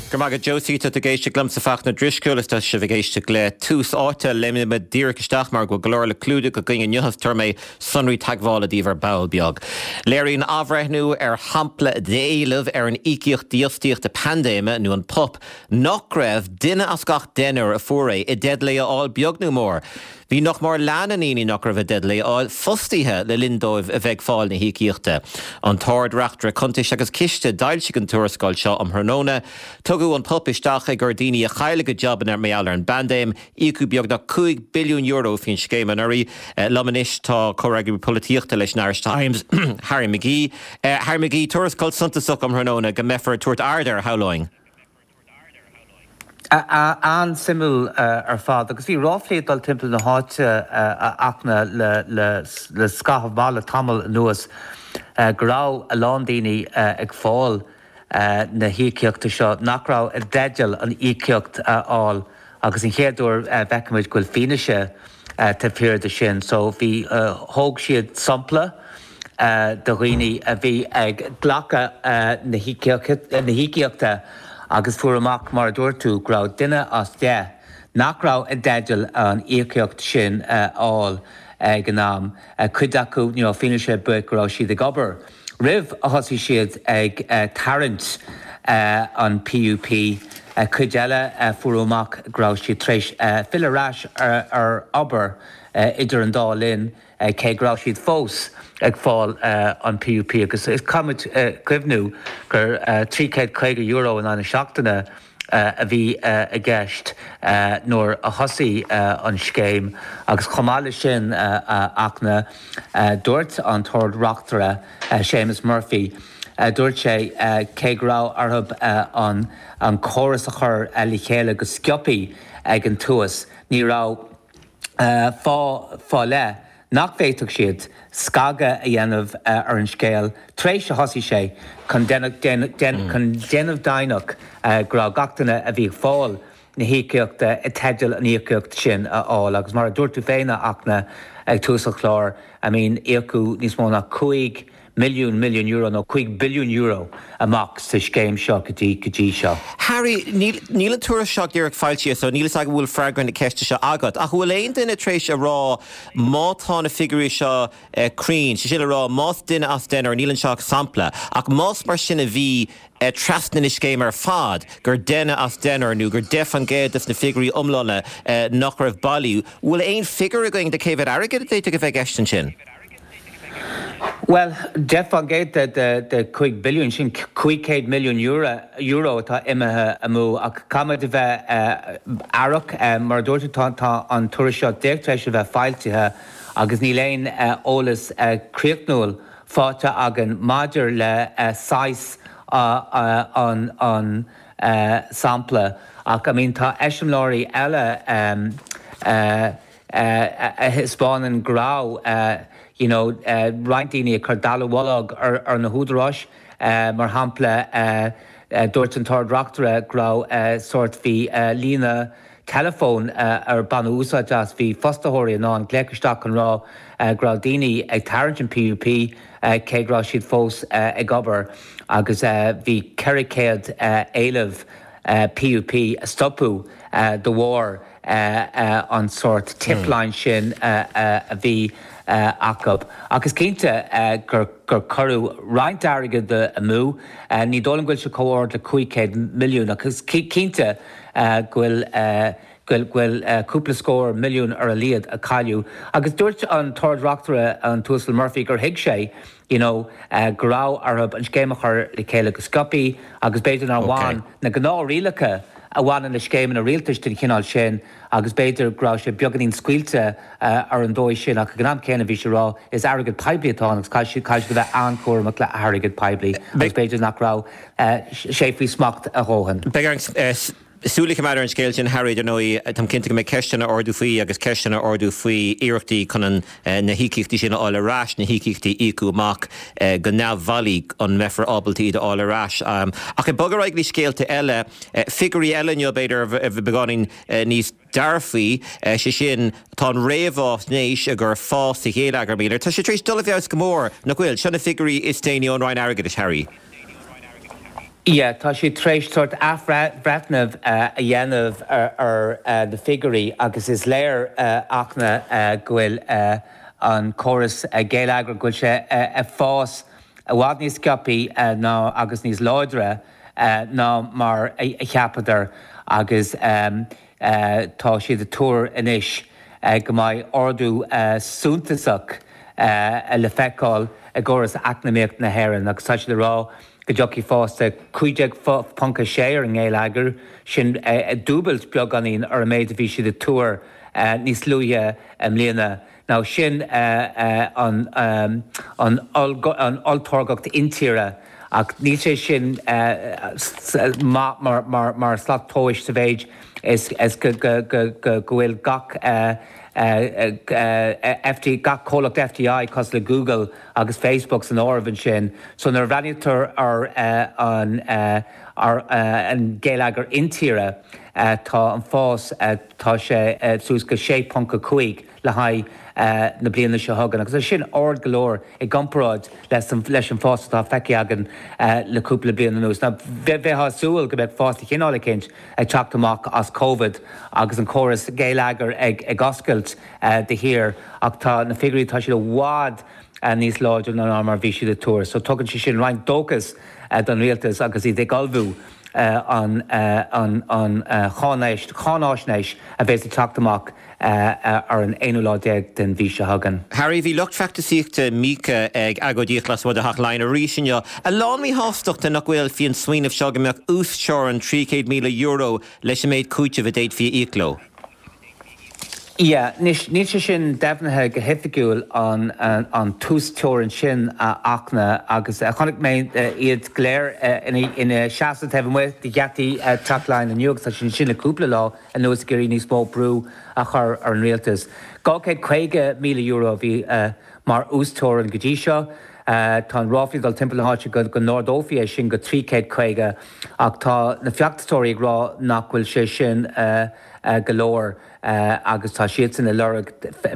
Go raibh maith agat Josie, tá tú ag éisteacht liomsa Fachtna Drisceoil is tá sibh ag éisteacht le Tús Áite. Léimfidh muid díreach isteach mar go bhfuil go leor le clúdach againn inniu is tabharfaidh mé sonraí teagmhála daoibh ar ball beag. Léiríonn athbhreithniú ar shampla d'éilimh ar an Íocaíocht Dífhostaíochta Paindéime, nó an pup, nach raibh duine as gach deichniúr a fuair é i dteideal é a fháil beag nó mór. Bhí nach mór leath na ndaoine nach raibh i dteideal é a fháil fostaithe le linn dóibh a bheith ag fáil na híocaíochta. An tArd-Reachtaire Cuntais agus Ciste d'fhoilsigh an tuarascáil seo um thráthnóna. Tugadh an pup isteach i gcomhair daoine a chaill a gcuid jabanna mar gheall ar an bpaindéim. Íocadh beagnach €5 billiún faoin scéim anuraidh. Liom anois tá comhfhreagraí polaitíochta leis an Irish Times, Harry McGee. Harry McGee, tuarascáil suntasach um thráthnóna go mbeifear ag tabhairt aird air, shamhlóinn. An-suimiúil ar fad. Agus bhí ráflaí ag dul timpeall na háite, a Fhachtna, le scaitheamh maith, le tamall anuas, go raibh a lán daoine ag fáil na híocaíochta seo nach raibh i dteideal an íocaíocht a fháil agus an chéad uair a bhfeicimid go bhfuil fianaise taobh thiar de sin. So bhí, thóg siad sampla de dhaoine a bhí ag glacadh na híocaíochta agus fuair amach, mar a dúirt tú, go raibh duine as 10 nach raibh i dteideal an íocaíocht sin a fháil ag an am. Cuid acu, ní raibh fianaise ar bith go raibh siad ag obair roimh a thosaigh siad ag tarraingt an PUP. Cuid eile, fuaireadh amach go raibh siad tar éis filleadh ar ais ar obair idir an dá linn. cé go raibh siad fós ag fáil an PUP agus caithfidh muid cuimhniú gur €350 in aghaidh na seachtaine a bhí i gceist nuair a thosaigh an scéim agus chomh maith leis sin a Fhachtna, dúirt an tArd-Reachtaire Séamus Murphy, dúirt sé cé go raibh orthu an córas a chur le chéile go sciobthaí ag an tús, ní raibh. fáth fá leith nach bhféadfadh siad scagadh a dhéanamh ar an scéal tar éis a thosaigh sé chun déanamh deimhneach go raibh gach duine a bhí ag fáil na híocaíochta i dteideal an íocaíocht sin a fháil. Agus mar a dúirt tú féin, a Fhachtna, ag tús an chláir, I mean, íocadh níos mó ná 5 milliún milliún euro nó €5 billiún amach sa scéim seo go dtí go dtí seo. Harry, níl, níl an tuairisc seo díreach foilsithe so níl fhios agam an bhfuil freagra na ceiste seo agat, ach an bhfuil aon duine tar éis a rá má tá na figiúirí seo cruinn, sé sin le rá más duine as deichniúr, níl anseo ach sampla, ach más mar sin a bhí trasna na scéime ar fad, gur duine as deichniúr nó gur 10% des na figiúirí iomlána nach raibh bailí, bhfuil aon figiúr againn de cé mhéad airgid a d'fhéadfadh a bheith i gceist ansin? Bhuel, 10% de 5 billiún, sin €500 milliún euro atá imithe amú. Ach caithfimid a bheith aireach. Mar a dúirt tú, tá an tuairisc seo díreach tar éis a bheith foilsithe agus níl aon eolas críochnúil faighte againn maidir le saghas an sampla. Ach, I mean, tá eiseamláirí eile a thaispeánann go raibh you know roinnt daoine ag cur dallamullóg ar na húdaráis. Mar shampla, dúirt an tArd-Reachtaire go raibh sórt, bhí líne teileafóin ar baineadh úsáid as, bhí fostaitheoirí in ann glaoch isteach chun rá go raibh daoine ag tarraingt an PUP cé go raibh siad fós ag obair agus bhí 400 éileamh PUP a stopadh de bharr an sórt tipline sin a bhí acu. Ach is cinnte gur cuireadh roinnt airgid amú. Ní dóigh liom go bhfuil sé chomh ard le 500 milliún ach is cinnte go bhfuil go bhfuil cúpla scór milliún ar a laghad a cailleadh. Agus dúirt an tArd-Reachtaire, an tUasal Murphy, gur thuig sé you know go raibh orthu an scéim a chur le chéile go sciobthaí agus b'fhéidir nár bhain na gnáthrialacha a bhaineann le scéimeanna rialtais den chineál sin agus b'fhéidir go raibh sé beagáinín scaoilte ar an dóigh sin ach ag an am céanna bhí sé ag rá is airgead poiblí atá ann agus caithfidh siad a bheith an-chúramach le hairgead poiblí agus b'fhéidir nach raibh sé faoi smacht a dhóthain. Beidh orainn súil a choimeád ar an scéal sin, Harry, dar ndóigh. Táim cinnte go mbeidh ceisteanna á ardú faoi agus ceisteanna á ardú faoi iarrachtaí chun an na híocaíochtaí sin a fháil ar ais, na híocaíochtaí a íocadh amach go neamhbhailí, an mbeifear ábalta iad a fháil ar ais. Ach ag bogadh ar aghaidh go dtí scéalta eile, figiúirí eile inniu, b'fhéidir, a bheidh beagáinín níos dearfaí, sé sin, tá an réamhaisnéis i gcomhair fás sa gheilleagar, míle, tá sé tar éis dul i bhfeabhas go mór, nach bhfuil? Seo na figiúirí is déanaí ón Roinn Airgeadais, Harry. Yeah, tá siad tar éis sórt athbhreithniú a dhéanamh ar na figiúirí agus is léir Fhachtna go bhfuil an córas geilleagrach, go bhfuil sé ag fás i bhfad níos sciobthaí ná agus níos láidre ná mar a cheapadar agus tá siad ag tuar anois go mbeidh ardú suntasach le feiceáil i gcóras eacnamaíocht na hÉireann agus tá siad ag rá go dtiocfaidh fás de 15.6 ar an ngeilleagar, sin dúbailt beagáinín ar an méid a bhí siad ag tuar níos luaithe i mbliana. Now sin an olltáirgeacht intíre ach níl sé sin maith mar slat tomhais sa mhéid is go bhfuil gach FD, gach comhlacht FDI cosúil le Google agus Facebook san áireamh ansin. So nuair a bhreathnaítear ar an ar an geilleagar intíre tá an fás, tá sé suas go 6.5 le haghaidh na bliana seo chugainn agus é sin ard go leor i gcomparáid leis an bhfás atá feicthe againn le cúpla bliain anuas. Now bheifeá ag súil go mbeadh fás de chineál eicínt ag teacht amach as Covid agus an córas geilleagair ag oscailt de shíor ach tá na figiúirí, tá siad i bhfad níos láidre ná mar a bhí siad ag tuar. So tugann sé sin roinnt dóchas don rialtas agus iad ag ullmhú an cháinaisnéis a bheas ag teacht amach ar an aonú lá déag den mhí seo chugainn. Harry, bhí lucht feachtasaíochta Mica ag agóidíocht lasmuigh de Theach Laighean arís inniu. A lán míshástachta nach bhfuil faoin smaoineamh seo go mbeadh uasteorainn €300,000 leis an méid cúitimh a d'fhéadfaí a íoc leo. Yeah, anois, níl sé sin deimhnithe go hoifigiúil, an an t-uasteorainn sin a Fhachtna, agus chonaic mé iad go léir ina seasamh taobh amuigh de gheataí Teach Laighean inniu agus tá siad ansin le cúpla lá anuas ag iarraidh níos mó brú a chur ar an rialtas. €250,000 a bhí mar uasteorainn go dtí seo. Tá an ráflaí ag dul timpeall na háite go n-ardófaí é sin go 350 ach tá na feachtasóirí ag rá nach bhfuil sé sin go leor agus tá siadsan ag lorg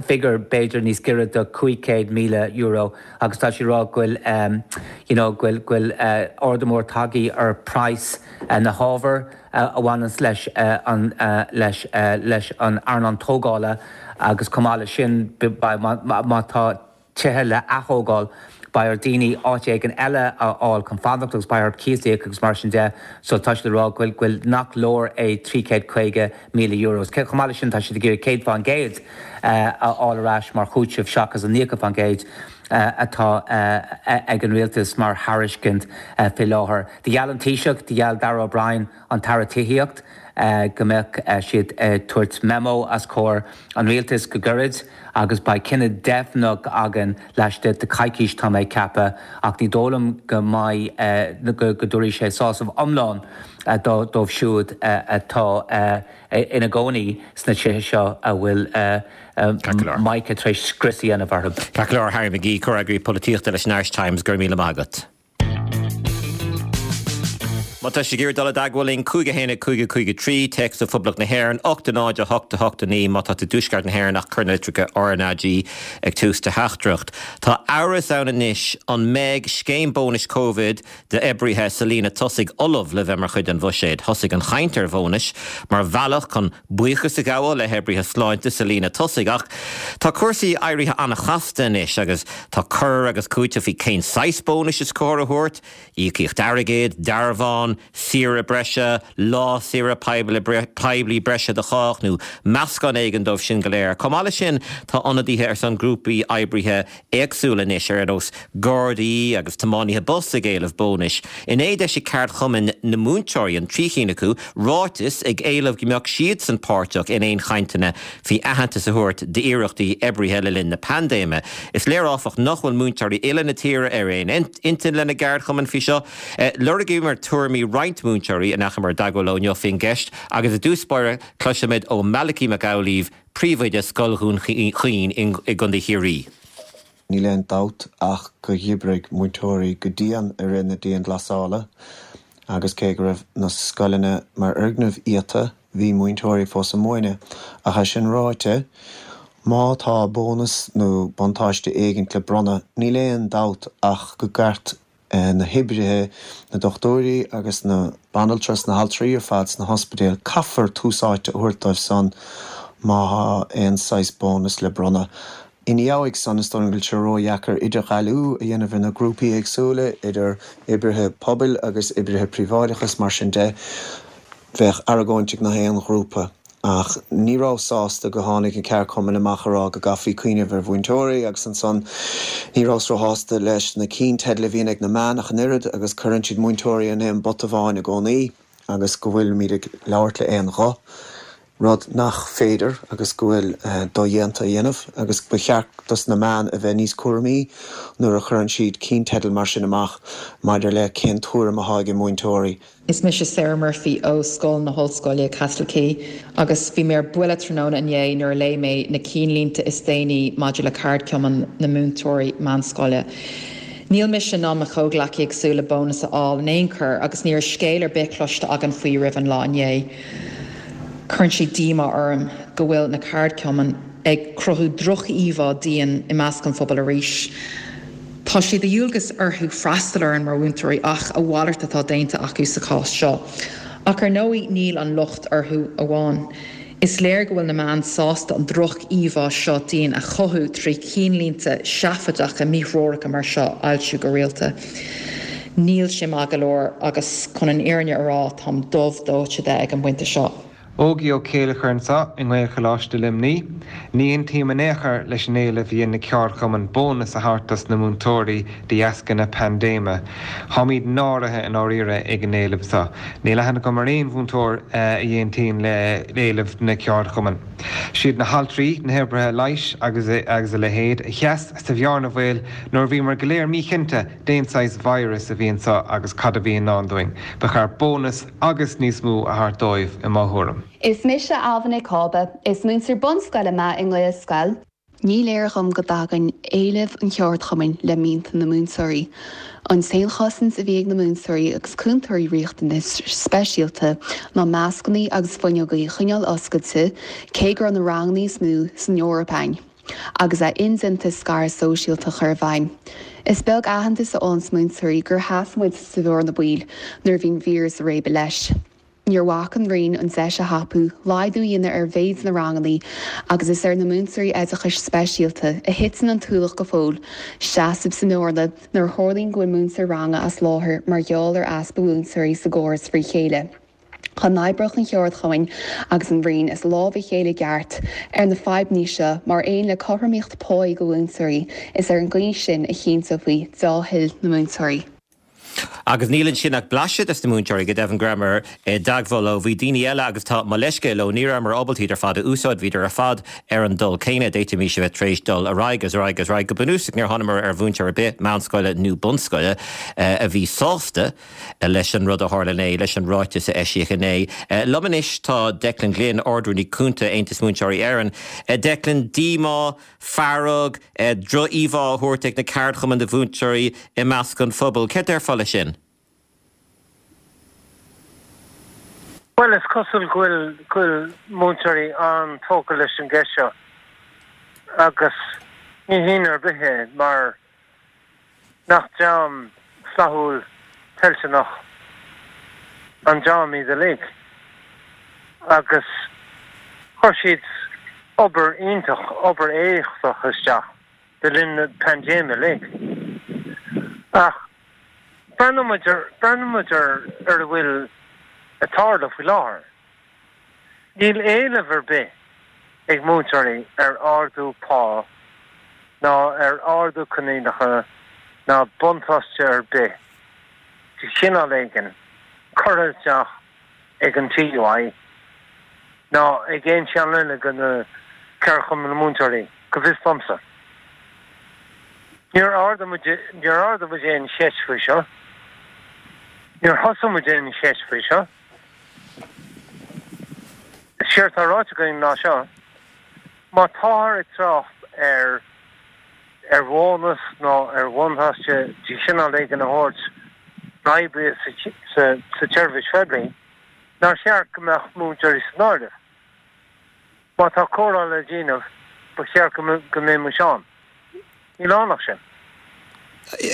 figiúr b'fhéidir níos giorra do €500,000 agus tá siad ag rá go bhfuil you know go bhfuil go bhfuil ardú mór tagtha ar praghas na hábhar a bhaineanns leis an leis leis an earnáil tógála agus chomh maith leis sin má tá tithe le ath-thógáil, beidh ar daoine áit éigin eile a fháil chun fanacht agus beidh orthu cíos a íoc agus mar sin de so tá siad ag rá go bhfuil, nach leor é €350,000. Chomh maith leis sin tá siad ag iarraidh 100% a fháil ar ais mar chúiteamh seachas an 90% atá ag an rialtas mar thairiscint faoi láthair. Do gheall an Taoiseach, do gheall Darragh O'Brien, an tAire Tithíocht, go mbeadh siad ag tabhairt memo os comhair an rialtais go gairid agus beidh cinneadh deimhneach againn laistigh de coicís, tá mé ag ceapadh, ach ní dóigh liom go mbeidh, go dtabharfaidh sé sásamh iomlán dóibh siúd atá ina gcónaí sna tithe seo a bhfuil Mica tar éis scrios a dhéanamh orthu. Ceart go leor, Harry McGee, Comhfhreagraí Polaitíochta leis an Irish Times, go raibh míle maith agat. Má tá sibh ag iarraidh dul i dteagmháil linn, 5 1 5 5 3, téacs ó Phoblacht na hÉireann, 8 0 8 8 9 má tá tú i dTuaisceart na hÉireann ach cuir na litreacha RnaG ag tús do theachtaireacht. Tá amhras ann anois an mbeidh scéim bónais Covid d'oibrithe sa líne tosaigh ullamh le bheith mar chuid den bhuiséad. Thosaigh an chaint ar bhónais mar bhealach chun buíochas a ghabháil le hoibrithe sláinte sa líne tosaigh ach tá cúrsaí éirithe an-chasta anois agus tá cur agus cúiteamh faoi cén saghas bónais is cóir a thabhairt, íocaíocht airgid, dearbhán, saoire breise, lá saoire poiblí breise do chách nó meascán éigin dóibh sin go léir. Chomh maith leis sin tá ionadaithe ar son grúpaí oibrithe éagsúla anois, ar nós Gardaí agus tiománaithe bus ag éileamh bónais. Inné d'eisigh ceardchumainn na múinteoirí, an 3 chinn acu, ráiteas ag éileamh go mbeadh siadsan páirteach in aon chainteanna faoi aitheantas a thabhairt d'iarrachtaí oibrithe le linn na paindéime. Is léir áfach nach bhfuil múinteoirí uile na tíre ar aon intinn lena gceardchumainn faoi seo. Lorgaíomar tuairimí roinnt múinteoirí a ndeachamar i dteagmháil leo inniu faoin gceist agus i dtús báire cloisfimid ó Malachy Mac Amhlaoibh, Príomhoide Scoil Dhún Chaoin i gContae Chiarraí. Níl aon dabht ach gur dh'oibrigh múinteoirí go dian i rith na dianghlasála agus cé go raibh na scoileanna mar fhoirgnimh iata, bhí múinteoirí fós ag múineadh. Ach é sin ráite, má tá bónas nó buntáiste éigint le bronnadh, níl aon dabht ach go gceart. na hoibrithe, na dochtúirí agus na banaltra is na haltraí ar fad sna hospidéil, caithfear tús áite a thabhairt dóibh san má thá aon saghas bónas le bronnadh. Ina dhiaidh san, is dóigh liom go bhfuil sé ródheacair idirdhealú a dhéanamh ar na grúpaí éagsúla, idir oibrithe pobail agus oibrithe príobháideacha is mar sin de. Bheadh argóint ag nach aon ghrúpa. Ach ní rabhas sásta go tháinig na ceardchumainn amach a rá go gcaithfí cuimhneamh ar mhúinteoirí agus ansan ní rabhas róshásta leis na cinnteidil a bhíonn ag na meáin ach an oiread agus cuireann siad múinteoirí in aon bpota amháin i gcónaí agus go bhfuilimid ag labhairt le aon ghuth. rud nach féidir agus go bhfuil dodhéanta a dhéanamh agus ba cheart dos na meáin a bheith níos cúramaí nuair a chuireann siad cinnteidil mar sin amach maidir le cén tuairim athá ag múinteoirí. Is mise Sarah Murphy ó Scoil na hOllscoile, Castle Quay, agus bhí mé ar buile tráthnóna inné nuair a léigh mé na cinnlínte is déanaí maidir le Ceardchumann na Múinteoirí Meánscoile. Níl mise ná mo chomhghleacaí ag súil le bónas a fháil in aon chor agus ní raibh scéal ar bith cloiste againn faoi roimh an lá inné. Cuireann sé díomá orm go bhfuil na ceardchumainn ag cruthú droch-íomhá dínn i measc an phobail arís. Tá sé de dhualgas orthu freastal orainn mar mhúinteoirí ach a mhalairt atá déanta acu sa chás seo. Ach ar ndóigh níl an locht orthu amháin. Is léir go bhfuil na meáin sásta an droch-íomhá seo dínn a chothú trí chinnlínte seafóideacha míthreoracha mar seo a fhoilsiú go rialta. Níl sé maith go leor agus chun an fhírinne a rá táim dubh dóite de ag an bpointe seo. Ógie Ó Céileachair anseo i nGaelcholáiste Luimní. Ní aontaím in aon chor leis an éileamh a dhein na ceardchumainn bónas a thabhairt dos na múinteoirí de dheasca na paindéime. Táimíd náirithe i ndáiríre ag an éileamh seo. Níl aithne agam ar aon mhúinteoir a aontaíonn le éileamh na ceardchumann. Siad na haltraí, na hoibrithe leighis agus agus a leithéid a sheas sa bhearna bhaoil nuair a bhíomar go léir míchinnte dén saghas virus a bhí anseo agus cad a bhí i ndán dúinn. Ba cheart bónas agus níos mó a thabhairt dóibh i mo thuairim. Is mise Ailbhe Nic Cába. Is múinteoir bunscoile mé i nGaelscoil. Ní léir dhom go dtagann éilimh an cheardchumainn le mianta na múinteoirí. An t-aon chosaint a bhí ag na múinteoirí agus cúntóirí riachtanais speisialta ná mascannaí agus fuinneogaí a choinneáil oscailte cé go raibh na ranganna is mó san Eoraip ann. agus a indéanta scaradh sóisialta a chur i bhfeidhm. Is beag aitheantas a fhaigheanns múinteoirí gur sheas muid sa bhearna baoil nuair a bhí an víreas ag réabadh leis. Níor bhac an Roinn an deis a thapú laghdú a dhéanamh ar mhéid na ranganna agus is ar na múinteoirí oideachais speisialta a thiteann an t-ualach go fóill seasamh sa mbearna nuair a tharlaíonn go bhfuil múinteoir ranga as láthair mar gheall ar easpa múinteoirí sa gcóras frí chéile. Dá n-oibreodh an cheardchumainn agus an Roinn as lámh a chéile i gceart ar na fadhbanna seo mar aon le cothromaíocht páí do mhúinteoirí, is ar an gcaoi sin a chinnteofaí deá-thoil na múinteoirí. Agus níl ansin ach blaiseadh des na múinteoirí, go deimhin go rabhamar i dteagmháil leo. Bhí daoine eile agus tá mo leithscéal leo, ní rabhamar ábalta iad ar fad a úsáid, bhíodar ar fad ar an dul céanna, d'fhéadfaimis a bheith tar éis dul ar aghaidh agus ar aghaidh agus ar aghaidh. Go bunúsach níor thánamar ar mhúinteoir ar bith, meánscoile nó bunscoile, a bhí sásta leis an rud a tharla inné, leis an ráiteas a eisíodh inné. Liom anois tá Declan Glynn, Ard-Rúnaí Cúnta Aontas Múinteoirí Éireann. Declan, díomá, fearg, droch-íomhá á thabhairt ag na ceardchumainn do mhúinteoirí i measc an phobail. Céard déarfá leis sin? Bhuel, is cosúil go bhfuil go bhfuil múinteoirí an-tógtha leis an gceist seo agus ní hionadh ar bith é mar Nach dream flaithiúil toilteanach an dream iad uilig agus chuir siad obair iontach, obair éachtach isteach le linn na paindéime uilig. Ach breathnóidh muid ar, breathnóidh muid ar ar a bhfuil ag tarlú faoi láthair. Níl éileamh ar bith ag múinteoirí ar ardú pá ná ar ardú coinníollacha ná buntáiste ar bith de chineál éigin curtha isteach ag an TUI ná ag aon cheann eile de na ceardchumainn múinteoirí, go bhfios domsa. Níor ardaigh muid, níor ardaigh muid aon cheist faoi seo. Níor thosaigh muid aon cheist faoi seo. Séard atá ráite againn ná seo, má táthar ag trácht ar ar bhónas nó ar bhuntáiste de chineál éigin a thabhairt d'oibrithe sa sa tseirbhís phoiblí, nár cheart go mbeadh múinteoirí san áireamh? Má tá comhrá le déanamh, ba cheart go go mbeimis ann. Níl ann ach sin.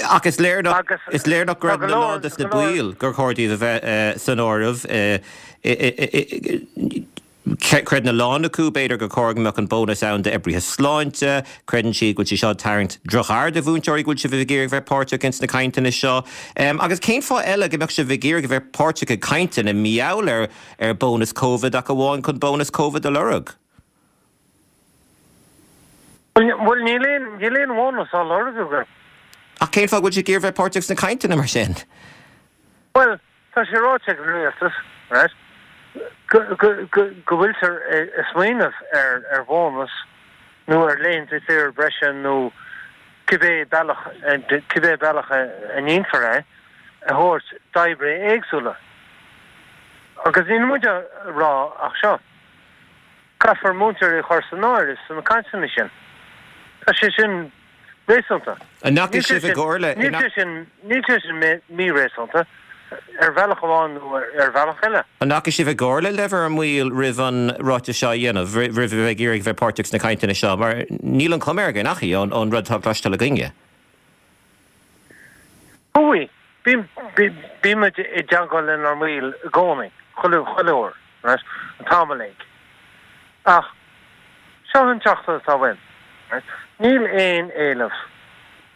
Ach is léir nach, is léir nach gcreideann a lán des na baill gur chóir daoibh a bheith san áireamh. Creideann a lán acu, b'fhéidir, gur chóir go mbeadh an bónas ann d'oibrithe sláinte. Creideann siad go bhfuil sé seo ag tarraingt droch-aird ar mhúinteoirí go bhfuil sibh ag iarraidh a bheith páirteach ins na cainteanna seo. Agus cén fáth eile go mbeadh sibh ag iarraidh a bheith páirteach i gcainteanna mar gheall ar ar bónas Covid ach amháin chun bónas Covid a lorg? Bhuel, níl aon, níl aon bhónas á lorg againn. Ach cén fáth go bhfuil sibh ag iarraidh a bheith páirteach sna cainteanna mar sin? Bhuel, Tá sé ráite ag an rialtas, right, go bhfuiltear ag smaoineamh ar bhónas nó ar laethanta saoire breise nó cibé bealach, cibé bealach a ndéanfar é, a thabhairt d'oibrithe éagsúla. Agus níl muid á rá ach seo, caithfear múinteoirí a chur san áireamh sna cainteanna sin. Tá sé sin réasúnta. An ndeachaigh sibh i gcomhairle? Níl sé sin, níl sé sin mí-réasúnta, ar bhealach amháin nó ar bhealach eile. An ndeachaigh sibh i gcomhairle le bhur mbaill roimh an ráiteas seo a dhéanamh, roimh a bheith ag iarraidh a bheith páirteach sna cainteanna seo? Mar níl an chuma air go ndeachaigh, ón rud atá cloisteáil againne. Chuaigh. Bímid i dteagmháil lenár mbaill i gcónaí, chuile uair, right, an t-am uilig. Ach seo an teachtaireacht atá uaim, right, níl aon éileamh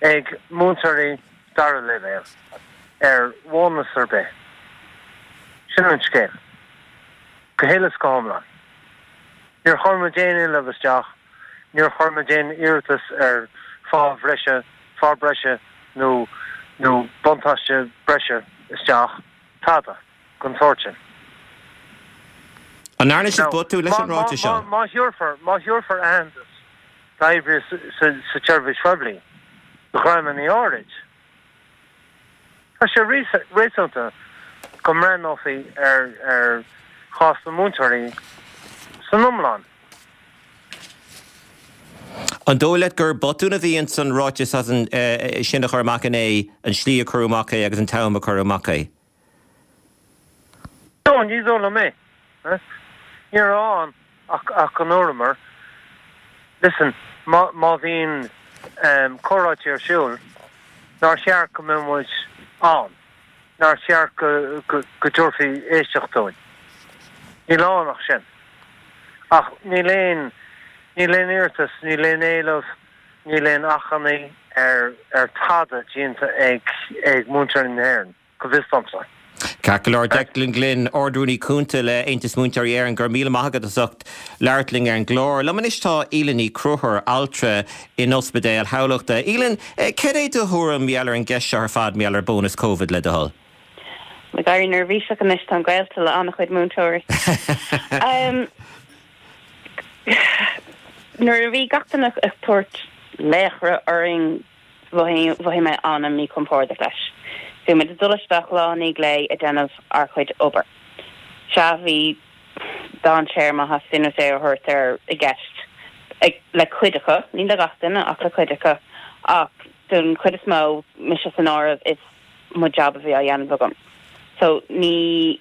ag múinteoirí dara leibhéal ar bhónas ar bith. Sin an scéal. Go huile is go hiomlán. Níor chuir muid aon éileamh isteach, níor chuir muid aon iarratas ar phá bhreise, phá breise nó nó buntáiste breise isteach, tada den tsórt sin. An ndearna sibh botún leis an ráiteas seo? Má thabharfar, má thabharfar aitheantas d'oibrithe sa tseirbhís phoiblí, do dhreamanna áirid, tá sé réasúnta go mbreathnófaí ar chás na múinteoirí san iomlán. An dóigh leat gur botún a bhí ins an ráiteas as an sin a chur amach inné, an slí a cuireadh amach é agus an t-am a cuireadh amach é? No, ní dóigh liom é. Ní raibh ann ach go ndúramar, listen, má má bhíonn comhráití ar siúl, nár cheart go mbeadh muid ann, nár cheart go go dtabharfaí éisteacht dúinn. Níl ann ach sin. Ach níl aon níl aon iarratas, níl aon éileamh, níl aon achainí ar ar tada déanta ag ag múinteoirí na hÉireann, go bhfios domsa. Ceart go leor, Declan Glynn, Ard-Rúnaí Cúnta le Aontas Múinteoirí Éireann, go raibh míle maith agat as ucht labhairt linn ar an gclár. Liom anois tá Aoileann Ní Chonchúir, altra in Ospidéal Thamhlachta. Aoileann, cad é do thuairim mar gheall ar an gceist seo ar fad, mar gheall ar bónas Covid, le do thoil? Ag éirí neirbhíseach anois, táim gaolta le an-chuid múinteoirí. Nuair a bhí gach duine ag tabhairt laochra orainn, mhothaigh mé an-mhíchompordach leis. Bhí muid ag dul isteach lá i ndiaidh lae ag déanamh ár chuid obair. Sea, bhí dainséar, má theastaíonn uait é a thabhairt air, i gceist le cuid acu, ní le gach duine ach le cuid acu, ach don chuid is mó, mise san áireamh, is mo jab a bhí á dhéanamh agam. So ní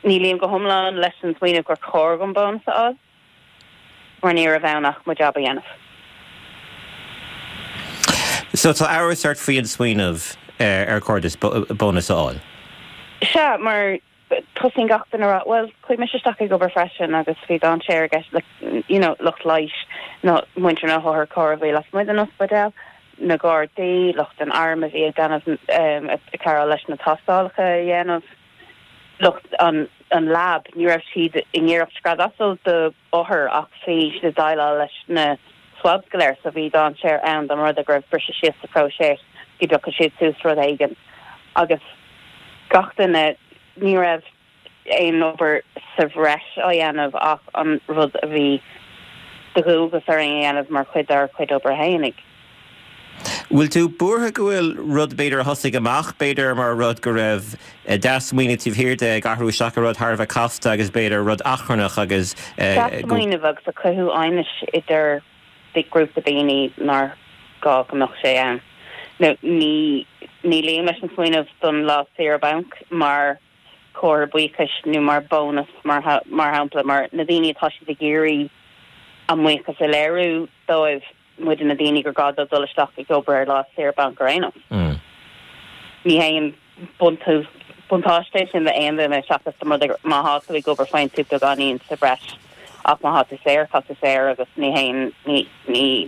ní luím go hiomlán leis an smaoineamh gur chóir dom bónas a fháil mar ní raibh ann ach mo jab a dhéanamh. So tá amhras ort faoi an smaoineamh ar chóir duit bónas a fháil? Sea, mar tosaíonn gach duine a rá, bhuel, chuaigh mise isteach ag obair freisin agus bhí dainséar i gceist le, you know, lucht leighis, na, muintir na hotharchairr a bhí lasmuigh den ospidéal, na gardaí, lucht an airm a bhí ag déanamh, ag cabhrú leis na tástálacha a dhéanamh, lucht an, an lab, ní raibh siad i ngiorracht scread asail do othair ach bhí siad ag déileáil leis na swabs go léir so bhí dainséar ann dá mba rud é go raibh briseadh síos sa phróiseas go dtiocfadh siad suas rud éigin agus gach duine, ní raibh aon obair sa bhreis á dhéanamh ach an rud a bhí de dhualgas orainn a dhéanamh mar chuid dár chuid oibre fhéinig. Bhfuil tú buartha go bhfuil rud b'fhéidir a thosaigh amach b'fhéidir mar rud go raibh dea-smaoineamh taobh thiar de ag athrú isteach i rud thar a bheith casta agus b'fhéidir rud achrannach agus go. Dea-smaoineamh agus ag cothú aighnis idir grúpa daoine nár ghá go mbeadh sé ann. Nó ní ní luím leis an smaoineamh don lá saoire bainc mar chomhartha buíochais nó mar bónas mar mar shampla mar na daoine atá siad ag iarraidh a mbuíochas a léiriú dóibh. muide na daoine gur gá dóibh dul isteach ag obair ar lá saoire bainc ar aon nós. Ní haon buntáiste é sin d'aon duine seachas dá mba rud é má thá tú ag obair faigheann tú beagáinín sa bhreis ach má thá tú saor tá tú saor agus ní haon ní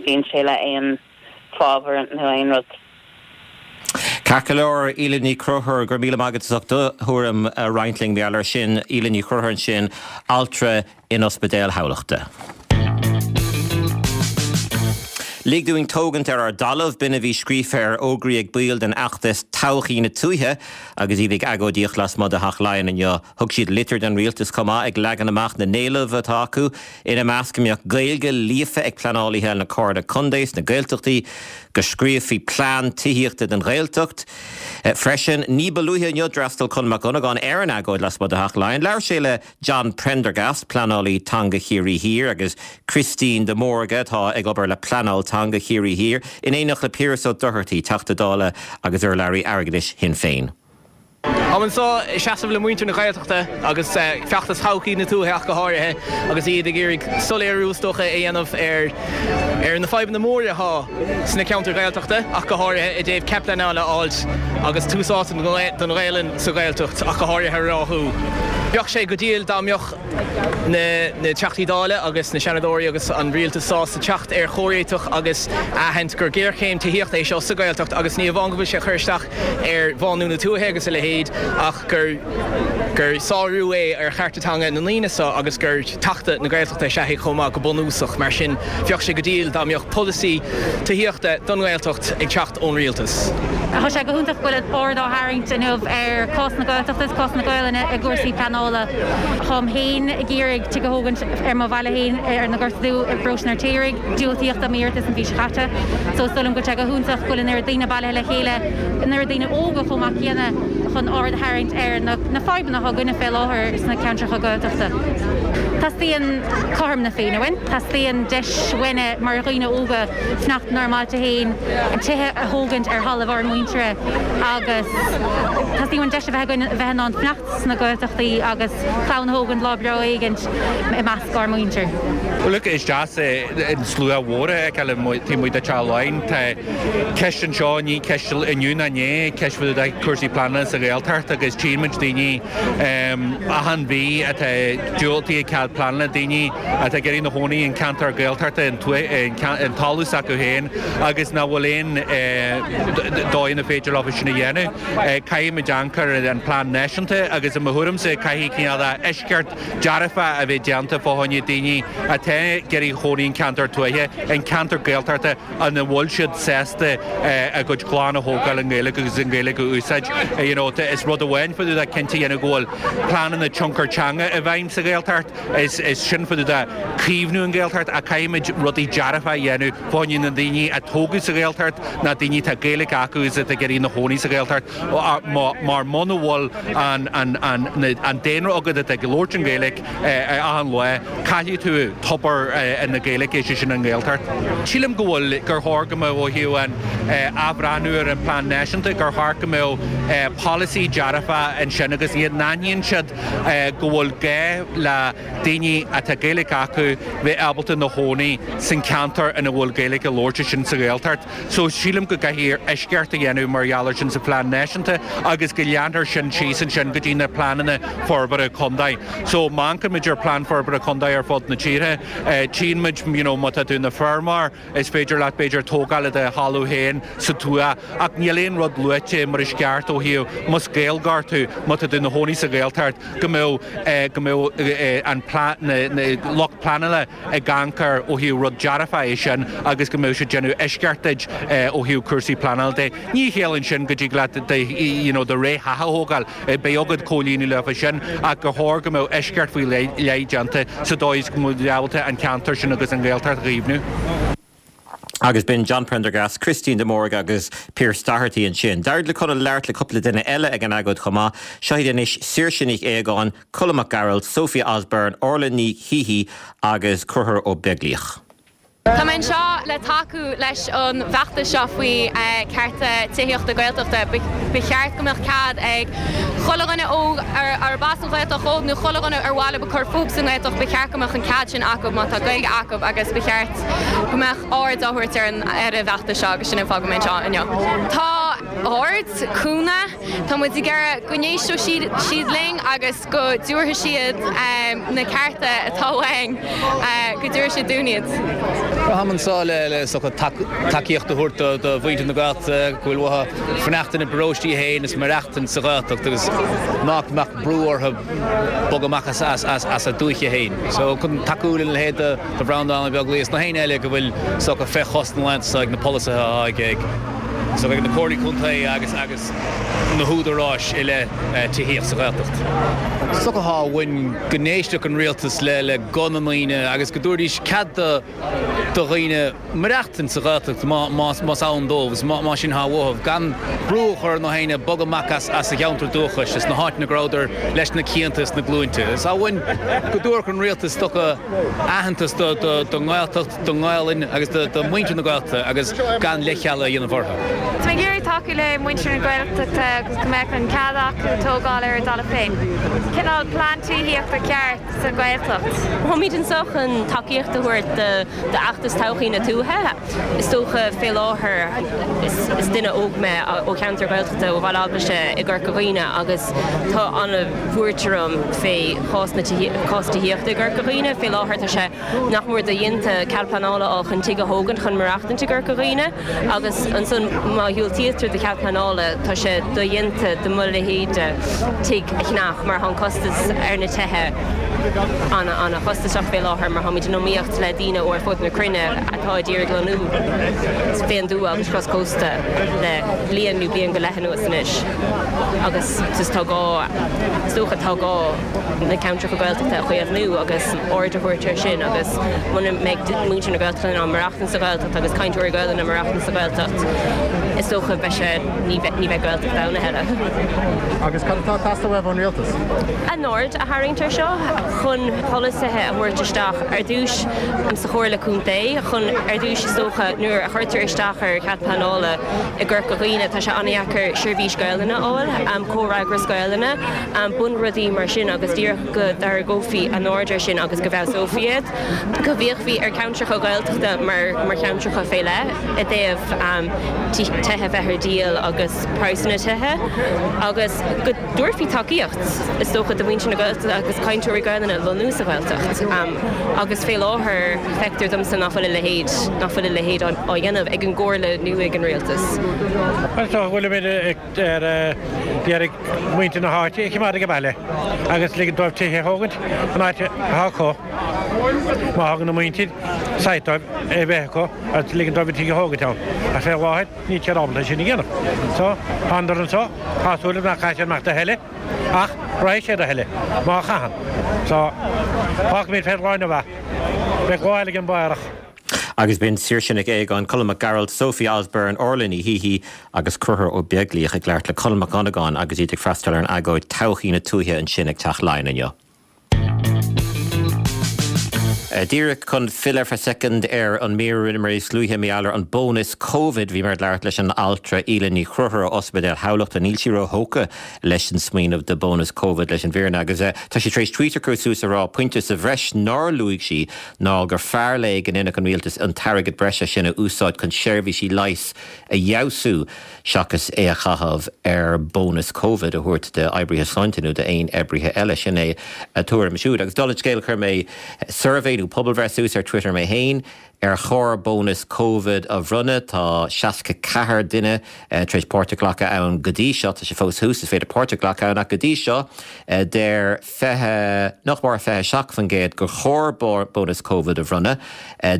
bhíonn sé le aon fábhar nó aon rud. Ceart go leor, Aoileann Ní Chonchúir, go raibh míle maith agat as ucht do thuairim a roinnt linn mar gheall air sin. Aoileann Ní Chonchúir ansin, altra in Ospidéal Thamhlachta. Lig dúinn tógaint ar ár dtalamh, b'in a bhí scríofa ar fhógraí ag baill den fheachtas Todhchaí na Tuaithe agus iad ag agóidíocht lasmuigh de Theach Laighean inniu. Thug siad litir don rialtas chomh maith ag leagan amach na n-éileamh atá acu, ina measc go mbeadh Gaeilge líofa ag pleanálaithe na Comhairle Contae sna Gaeltachtaí, go scríobhfaí plean tithíochta don Ghaeltacht freisin. Ní ba luaithe inniu d'fhreastail Conall Mac Dhonnagáin ar an agóid lasmuigh de Theach Laighean. Labhair sé le John Prendergast, pleanálaí teanga Chiarraí Thiar, agus Christine de Mórdha, atá ag obair le Pleanáil Teanga Chiarraí Thiar, in éineacht le Piaras Ó Dochartaigh, Teachta Dála agus urlabhraí airgeadais Shinn Féin. Táim anseo ag seasamh le muintir na Gaeltachta agus feachtas Thodhchaí na Tuaithe ach go háirithe agus iad ag iarraidh soiléiriú is dócha a dhéanamh ar ar na fadhbanna móra atá sna ceantair Ghaeltachta ach go háirithe i dtaobh cead pleanála a fháilt agus tús áite don Ghaelainn sa Ghaeltacht ach go háirithe a ráthú. Bheadh sé go diail dá mbeadh na Teachtaí Dála agus na Seanadóirí agus an Rialtas sásta teacht ar chomhréiteach agus a aithint gur géarchéim tithíochta é seo sa Ghaeltacht agus ní amháin go bhfuil sé ag cur isteach ar bhánú na tuaithe agus a leithéid ach gur gur sárú é ar chearta teanga na ndaoine seo agus gur tachtadh na Gaeltachta is ea é chomh maith go bunúsach. Mar sin, bheadh sé go diail dá mbeadh polasaí tithíochta don nGaeltacht ag teacht ón Rialtas. Tá sé go hiontach go bhfuil aird á tharraingt inniu ar chás na Gaeltachta is cás na Gaelainne i gcúrsaí pleanála. Táim féin ag iarraidh tigh a thógaint ar mo bhaile féin ar na Gorta Dubha i bparóiste an Fheirtéaraigh. Diúltaíodh dom iarratas an mhí seo caite so is dóigh liom go bhfuil sé go hiontach go bhfuil an oiread daoine bailithe le chéile, an oiread daoine óga chomh maith céanna chun aird a tharraingt ar na fadhbanna atá againne fé láthair sna ceantracha Gaeltachta. Teastaíonn cothrom na Féinne uainn, teastaíonn deis uainne mar dhaoine óga fanacht inár mbailte féin, tithe a thógaint ar thalamh ár muintire agus teastaíonn uainn deis a bheith againn a bheith in ann fanacht sna Gaeltachtaí agus clann a thógaint lá breá éigint i measc ár muintir. Well look, is deas an slua mhór a fheiceáil taobh amuigh de Teach Laighean. Tá ceist anseo, ní ceist inniu ná inné, ceist fá dtaobh de cúrsaí pleanála sa Ghaeltacht agus tchíonn muid daoine achan mhí atá diúltaithe cead pleanála, daoine atá ag iarraidh 'na chónaí in ceantar Gaeltachta, an talamh s'acu féin agus nach bhfuil aon dóigh ina féidir leo sin a dhéanamh. Caithfimid amharc ar an plean náisiúnta agus i mo thuairimse caithfidh cineál de eisceacht dearfach a bheith déanta fá choinne daoine atá ag iarraidh chónaí in ceantar tuaithe, in ceantar Gaeltachta ina bhfuil siad sásta a gcuid clann a thógáil i nGaeilge agus an Ghaeilge a úsáid. You know, is rud amháin fá dtaobh de cinnte a dhéanamh go bhfuil pleananna tionchar teanga i bhfeidhm sa Ghaeltacht, is sin fá dtaobh de caomhnú an Ghaeltacht ach caithfimid rudaí dearfacha a dhéanamh fá choinne na ndaoine a tógadh sa Ghaeltacht, na daoine atá Gaeilge acu is atá ag iarraidh 'na chónaí sa Ghaeltacht mar muna bhfuil an daonra agat atá ag labhairt an Ghaeilge achan lá, caillfidh tú tobar na Gaeilge, sé sin an Ghaeltacht. Sílim go bhfuil, gur chóir go mbeadh ó thaobh an athbhreathnú ar an bplean náisiúnta, gur cheart go mbeadh polasaí dearfach ansin agus iad n-aithníonn siad go bhfuil gá le daoine atá Gaeilge acu bheith ábalta 'na chónaí san ceantar ina bhfuil Gaeilge á labhairt, sin sa Ghaeltacht. So sílim go gcaithfidh eisceacht a dhéanamh mar gheall ar sin sa phlean náisiúnta agus go leanfar sin síos ansin go dtí na pleananna forbartha contae. So má amharcann muid ar plean forbartha contae ar fud na tíre, tchíonn muid you know má tá tú ina feirmeoir, Is féidir leat, b'fhéidir, tógáil i do thalamh féin sa tuath, ach níl aon rud luaite mar is ceart ó thaobh, más Gaeilgeoir tú, má tá tú ina chónaí sa Ghaeltacht, go mbeadh, go mbeadh an na lucht pleanála ag amharc air ó thaobh rud dearfach é sin agus go mbeadh siad déanamh eisceacht duit ó thaobh cúrsaí pleanála de. Ní chiallaíonn sin go dtig leat do, you know, do rétheach a thógáil. Beidh agat comhlíonadh leofa sin ach gur chóir go mbeadh eisceacht faoi leith déanta sa dóigh is go mbeadh ábalta an ceantar sin agus an Ghaeltacht a chaomhnú. Agus b'in John Prendergast, Christine de Mórdha agus Pearse Doherty ansin. D'éirigh le Conall labhairt le cúpla duine eile ag an agóid chomh maith. Seo iad anois, Saoirse Nic Aogáin, Colm Mac Gearailt, Sophie Osborne, Orla Ní Shíthigh agus Conchúr Ó Beaglaoich. Tá mé anseo le tacú leis an bhfeachtas seo faoi cearta tithíochta Gaeltachta. Ba cheart go mbeadh cead ag chuile dhuine óg arb as an Ghaeltacht dhóibh nó chuile dhuine ar mhaith leo cur fúthu sa nGaeltacht, ba cheart go mbeadh an cead sin acu má tá Gaeilge acu agus ba cheart go mbeadh aird á thabhairt ar an ar an bhfeachtas seo agus sin an fáth go bhfuil mé anseo inniu. Tá aird, cúnamh, tá muid ag iarraidh go n-éisteoidh siad linn agus. go dtabharfaidh siad na cearta atá uainn, go dtabharfaidh siad dúinn iad. Táim anseo le is dócha tacaíocht a thabhairt do mhuintir na Gaeltachta go bhfuil uathu fanacht ina bparóistí féin is maireachtaint sa Ghaeltacht agus nach mbeadh brú orthu bogadh amach as a dúiche féin. So chun tacú lena leithéid de Bhreandán Ó Beaglaoich is na héinne eile go bhfuil is dócha fé chois na laethanta seo ag na polasaithe atá ag na comhairlí contae agus na húdaráis i leith tithíocht sa Ghaeltacht. Is dócha atá uainn go n-éistfeadh an rialtas le guth na ndaoine agus go dtabharfaidís cead do dhaoine maireachtaint sa Ghaeltacht más ann dóibh agus más sin atá uathu, gan brú a chur ar na héinne bogadh amach as a gceantar dúchais, as na háiteanna go rabhadar leis na cianta is na glúinte. Is tá uainn go dtabharfadh an rialtas is dócha aitheantas don nGaeltacht, don nGaelainn agus do mhuintir na Gaeltachta agus gan leithcheal a dhéanamh orthu. Tá mé ag iarraidh tacú le muintir na Gaeltachta agus go mbeadh an cead acu tógáil ar a dtalamh féin. Cineál plean tithíochta ceart sa Ghaeltacht. Táimid anseo chun tacaíocht a thabhairt d'fheachtas Todhchaí na Tuaithe. Is dócha fé láthair, is duine óg mé ó cheantar Gaeltachta ó Bhaile Eaglaise i gCorca Dhuibhne agus tá an-bhuairt orm fé chás na cás tithíochta i gCorca Dhuibhne. Fé láthair tá sé nach mór dodhéanta cead pleanála a fháil chun tigh a thógaint chun maireachtaint i gCorca Dhuibhne agus ansan má dhiúltaítear do chead pleanála tá sé dodhéanta do mo leithéide tigh a cheannach mar tá an costas ar na tithe ana-chostasach fé láthair mar táimid in iomaíocht le daoine ó ar fud na cruinne atá ag iarraidh lonnú fén dtuath agus cros cósta le bliain nó bliain go leith anuas anois agus tá gá is dócha tá gá na ceantracha Gaeltachta a chaomhnú agus aird a thabhairt air sin agus muna mbeidh muintir na Gaeltachta in ann maireachtaint sa Ghaeltacht agus cainteoirí Gaelainne maireachtaint sa Ghaeltacht, is dócha beidh sé, ní bheidh Gaeltacht ann a thuilleadh. Agus cad atá ag teastáil uaibh ón rialtas? A n-aird a tharraingt air seo chun polasaithe a thabhairt isteach ar dtús sa Chomhairle Contae chun ar dtús is dócha nuair a chuirtear isteach ar chead pleanála i gCorca Dhuibhne tá sé an-dheacair seirbhís Gaelainne a fháil, comhfhreagras Gaelainne. bunrudaí mar sin agus díreach go dtarraingeofaí a n-aird air sin agus go bhfeabhsófaí iad, go bhféachfaí ar cheantracha Gaeltachta mar cheantracha fé leith i dtaobh tithe a bheith ar díol agus praghsanna tithe agus go dtabharfaí tacaíocht is dócha do mhuintir na Gaeltachta agus cainteoirí Gaelainne lonnú sa Ghaeltacht agus fé láthair feictear domsa nach bhfuil a leithéid, nach bhfuil a leithéid á dhéanamh ag an gComhairle nó ag an Rialtas. Is dócha go bhfuilimid ag iarraidh muintir na háite a choimeád ag an baile agus ligean dóibh tithe a thógaint an áit atá acu. Má thugann an mhuintir site dóibh a bheith acu agus ligean dóibh an tigh a thógaint ann. Ach fé láthair níl siad ábalta é sin a dhéanamh. So, thánadar anso, tá súil agam nach gcaithfidh siad amach a thuilleadh ach raghaidh siad a thuilleadh má chaitheann. So, fágfaimid fén lá inniu é. Beidh lá eile againn amárach. Agus b'in Saoirse Nic Aogáin, Colm Mac Gearailt, Sophie Osborne, Orla Ní Shíthigh agus Conchúr Ó Beaglaoich ag labhairt le Conall Mac Dhonnagáin agus iad ag freastal ar an agóid Todhchaí na Tuaithe ansin ag Teach Laighean inniu. Díreach chun filleadh ar feadh soicind ar an mír a rinneamar níos luaithe mar gheall ar an bónas Covid, bhíomar ag labhairt leis an altra Aoileann Ní Chonchúir ó Ospidéal Thamhlachta. Níl sí róthógtha leis an smaoineamh de bónas Covid leis an bhfírinne agus tá sí tar éis tweet a chur suas ag rá pointe sa bhreis nár luaigh sí ná gur fearr léi go ndéanfadh an rialtas an t-airgead breise sin a úsáid chun seirbhísí leighis a fheabhsú seachas é a chaitheamh ar bónas Covid a thabhairt d'oibrithe sláinte nó d'aon oibrithe eile. Sin é a tuairim siúd. Agus dála an scéil chuir mé suirbhé nó pobalbhreith suas ar Twitter mé féin Ar chóir bónas Covid a bhronnadh? Tá 64 duine tar éis páirt a ghlacadh ann go dtí seo. Tá sé fós thuas, is féidir páirt a ghlacadh ann ach go dtí seo deir 20, nach mór 27% gur chóir bónas Covid a bhronnadh.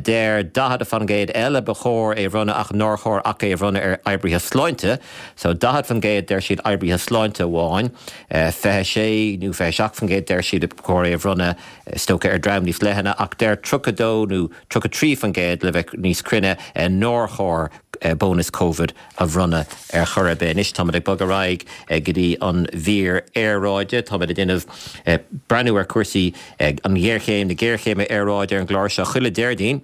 Deir 40% eile ba chóir é a bhronnadh ach nár chóir ach é a bhronnadh ar oibrithe sláinte. So 40% deir siad oibrithe sláinte amháin, 26 nó 27% deir siad ba chóir é a bhronnadh is dócha, ar dream níos leithne, ach deir 32 nó 33% le bheith níos cruinne, nár chóir bónas Covid a bhronnadh ar chor ar bith. Anois táimid ag bogadh ar aghaidh go dtí an mhír aeráide. Táimid ag déanamh breathnú ar chúrsaí an ghéarchéim, na géarchéime aeráide ar an gclár seo chuile Déardaoin.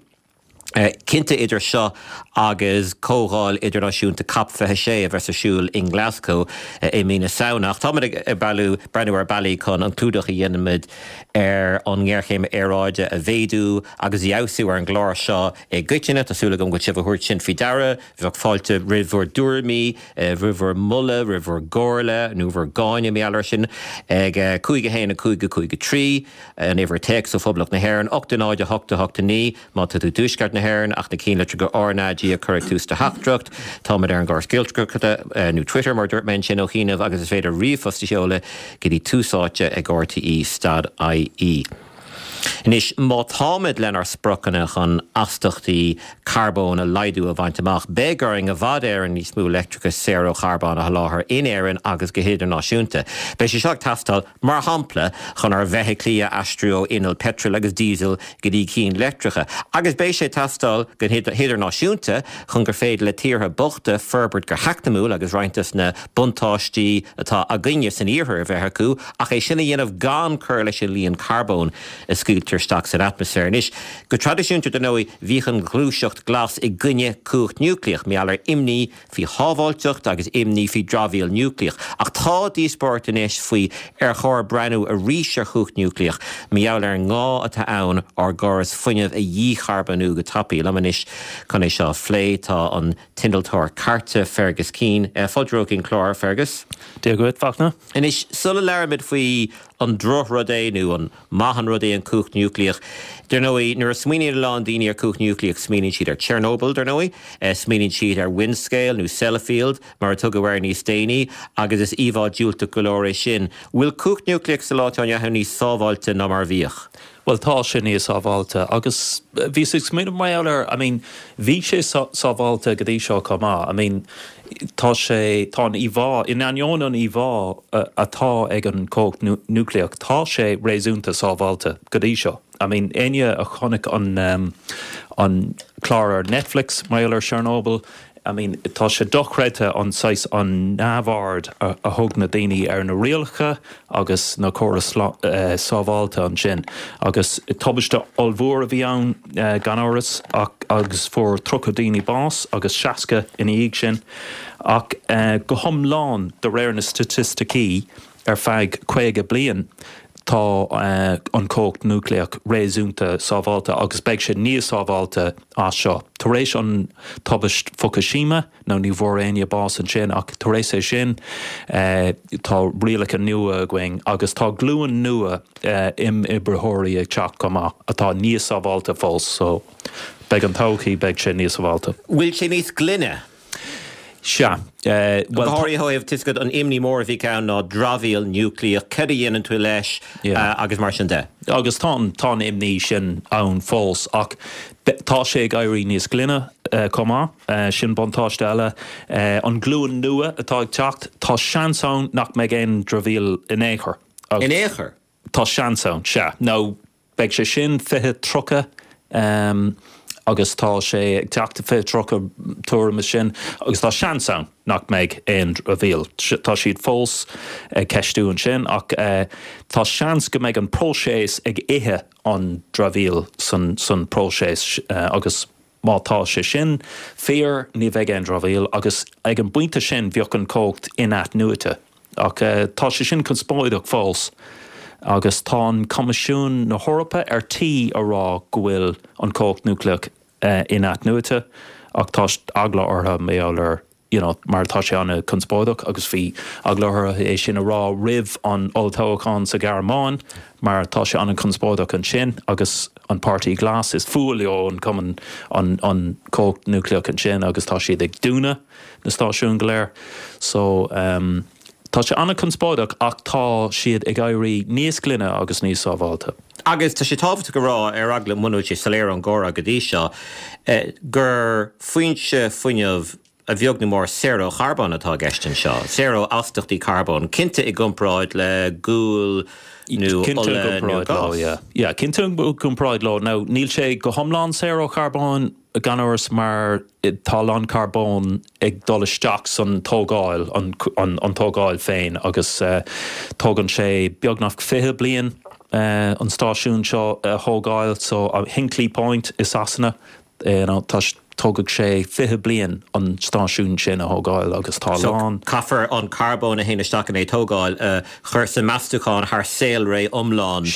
Cinnte idir seo agus Comhdháil Idirnáisiúnta Cop 26 a bheas ar siúl i nGlasgow i mí na Samhna. Ach táimid ag breathnú ar bealaí chun an clúdach a dhéanaimid ar an ngéarchéim aeráide a mhéadú agus a fheabhsú ar an gclár seo i gcoitinne. Tá súil agam go bhfuil sibh a thabhairt sin faoi deara. Bheadh fáilte roimh bhur dtuairimí, roimh bhur moladh, roimh bhur gcomhairle nó bhur gcáineadh, mar gheall air sin, ag 5 1 5 5 3, an uimhir téacs ó Phoblacht na hÉireann, 8 0 8 8 9. Má tá tú i dTuaisceart na hÉireann ach na cinnlitreacha RnaG a chur ag tús do theachtaireacht, táimid ar an gcóras Gaeltachta, nó Twitter mar a dúirt mé ansin ó chianaibh, agus is féidir ríomhphost a sheoladh go dtí tús áite ag rte stad ie. Anois, má táimid lenár spriocanna chun astachtaí carbóin a laghdú a bhaint amach, beidh orainn i bhfad Éireann níos mó leictreachais saor ó charbón a sholáthar in Éirinn agus go hidirnáisiúnta. Beidh sé seo ag teastáil Mar shampla, chun ár bhfeithiclí a aistriú ó innill peitril agus díosail go dtí cinn leictreacha. Agus beidh sé ag teastáil go hidirnáisiúnta chun gur féidir le tíortha bochta forbairt go heacnamúil agus roinnt des na buntáistí atá againne san iarthar a bheith acu, ach é sin a dhéanamh gan cur leis an líon carbóin a scaoiltear isteach san atmaisféar. Anois, go traidisiúnta, dar ndóigh, bhíodh an ghluaiseacht ghlas i gcoinne cumhacht núicléach, mar gheall ar imní faoi shábháilteacht agus imní faoi dramhaíl núicléach. Ach tá díospóireacht anois faoi ar chóir breathnú arís ar chumhacht núicléach mar gheall ar an ngá atá ann ár gcóras fuinnimh a dhícharbónú go tapaidh. Liom anois chun é seo a phlé tá an t-innealtóir cairte Fergus Keane. Fáilte romhat chuig an chlár, Fergus. Dia dhuit, Fachtna. Anois, sula labhraímid faoi an drochrud é nó an maith an rud é an cumhacht núicléach. Dar ndóigh, nuair a smaoiníonn a lán daoine ar cumhacht núicléach, smaoiníonn siad ar Chernobyl, dar ndóigh, smaoiníonn siad ar Windscale nó Sellafield, mar a tugadh air níos déanaí, agus is íomhá diúltach go leor é sin. Bhfuil cumhacht núicléach sa lá atá inniu ann níos sábháilte ná mar a bhíodh? Bhuel, tá sé níos sábháilte agus bhíos ag smaoineamh mar gheall air, I mean, bhí sé sábháilte go dtí seo chomh maith. I mean, tá sé, tá an íomhá, in ainneoin an íomhá atá ag an chumhacht núicléach, tá sé réasúnta sábháilte go dtí seo. I mean, éinne a chonaic an, an clár ar Netflix mar gheall ar Chernobyl, I mean, tá sé dochreidte an saghas, an neamhaird a thug na daoine ar na rialacha agus na córais sábháilte ansin. Agus tubaiste ollmhór a bhí ann gan amhras ach, agus fuair 30 daoine bás agus 60 ina dhiaidh sin. Ach go hiomlán, de réir na staitisticí, ar feadh 50 bliain, tá an chumhacht núicléach réasúnta sábháilte agus beidh sé níos sábháilte as seo. Tar éis an tubaist Fukushima, nó ní bhfuair éinne bás ansin ach tar éis é sin, tá rialacha nua againn agus tá glúin nua imoibritheoirí ag teacht chomh maith atá níos sábháilte fós. So, beidh an todhchaí, beidh sé níos sábháilte. Bhfuil sé níos glaine? Sea. Bhuel, Go háirithe ó thaobh, tá a fhios agat, an imní mór a bhí ann ná dramhaíl núicléach, cad a dhéanann tú leis agus mar sin de. Agus tá an, tá an imní sin ann fós ach tá sé ag éirí níos glaine chomh maith, sin buntáiste eile. An glúin nua atá ag teacht, tá seans ann nach mbeidh aon dramhaíl in aon chor. In aon chor? Tá seans ann, sea. Nó Beidh sé sin 2030 agus tá sé ag teacht 2030 tuairim is sin agus tá seans ann nach mbeidh aon dramhaíl. Tá siad fós ag ceistiú ansin ach tá seans go mbeidh an próiseas ag ithe an dramhaíl san san próiseas agus má tá sé sin fíor ní bheidh aon dramhaíl agus ag an bpointe sin bheadh an chumhacht in-athnuaite. Ach tá sé sin conspóideach fós agus tá an Coimisiún na hEorpa ar tí a rá go bhfuil an chumhacht núicléach in-athnuaite ach tá eagla orthu mar gheall ar you know mar tá sé an-chonspóideach agus bhí eagla orthu é sin a rá roimh an olltoghchán sa Ghearmáin mar tá sé an-chonspóideach ansin agus an Páirtí Glas is fuath leo an cumann an an chumhacht núicléach ansin agus tá siad ag dúnadh na stáisiúin go léir. So, tá sé an-chonspóideach ach tá siad ag éirí níos glaine agus níos sábháilte. Agus tá sé tábhachtach a rá, ar eagla muna bhfuil sé soiléir ón gcomhrá go dtí seo, gur foinse fuinnimh a bheag nó mór saor ó charbón atá i gceist anseo, saor ó astachtaí carbóin, cinnte i gcomparáid le gual nó ola nó gás. Yeah, cinnte i gcomparáid leo. Now, níl sé go hiomlán saor ó charbón, gan amhras, mar tá a lán carbóin ag dul isteach san tógáil, an tógáil féin agus tógann sé beagnach 20 bliain an stáisiún seo a thógáil, so Hinkley Point i Sasana. You know, tá, tógfaidh sé 20 bliain an stáisiún sin a thógáil agus tá a lán. So, caithfear an carbón a théann isteach in é tógáil a chur sa meastúchán thar saolré iomlán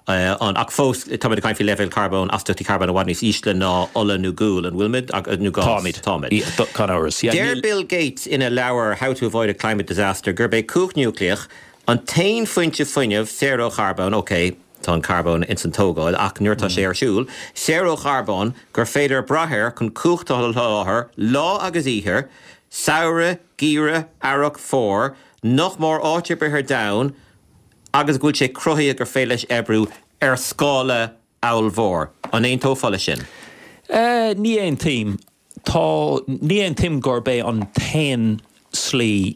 an, ach fós táimid ag caint faoi leibhéil carbóin, astaíochtaí carbóin i bhfad níos ísle ná ola nó gual, an bhfuilimid? Nó gás? Táimid. Táimid. Gan amhras. Yeah, Deir Bill Gates ina leabhar How to Avoid a Climate Disaster gurb é cumhacht núicléach an t-aon foinse fuinnimh saor ó charbón, ok, tá an carbón ins an tógáil ach nuair atá sé ar siúl, saor ó charbón gur féidir brath air chun cumhacht a sholáthar lá agus oíche, samhradh, geimhreadh, earrach, fómhar, nach mór áit ar bith ar domhan agus go bhfuil sé cruthaithe gur féidir leis oibriú ar scála ollmhór. An aontófá leis sin? Ní aontaím. Tá, ní aontaím gurb é an t-aon slí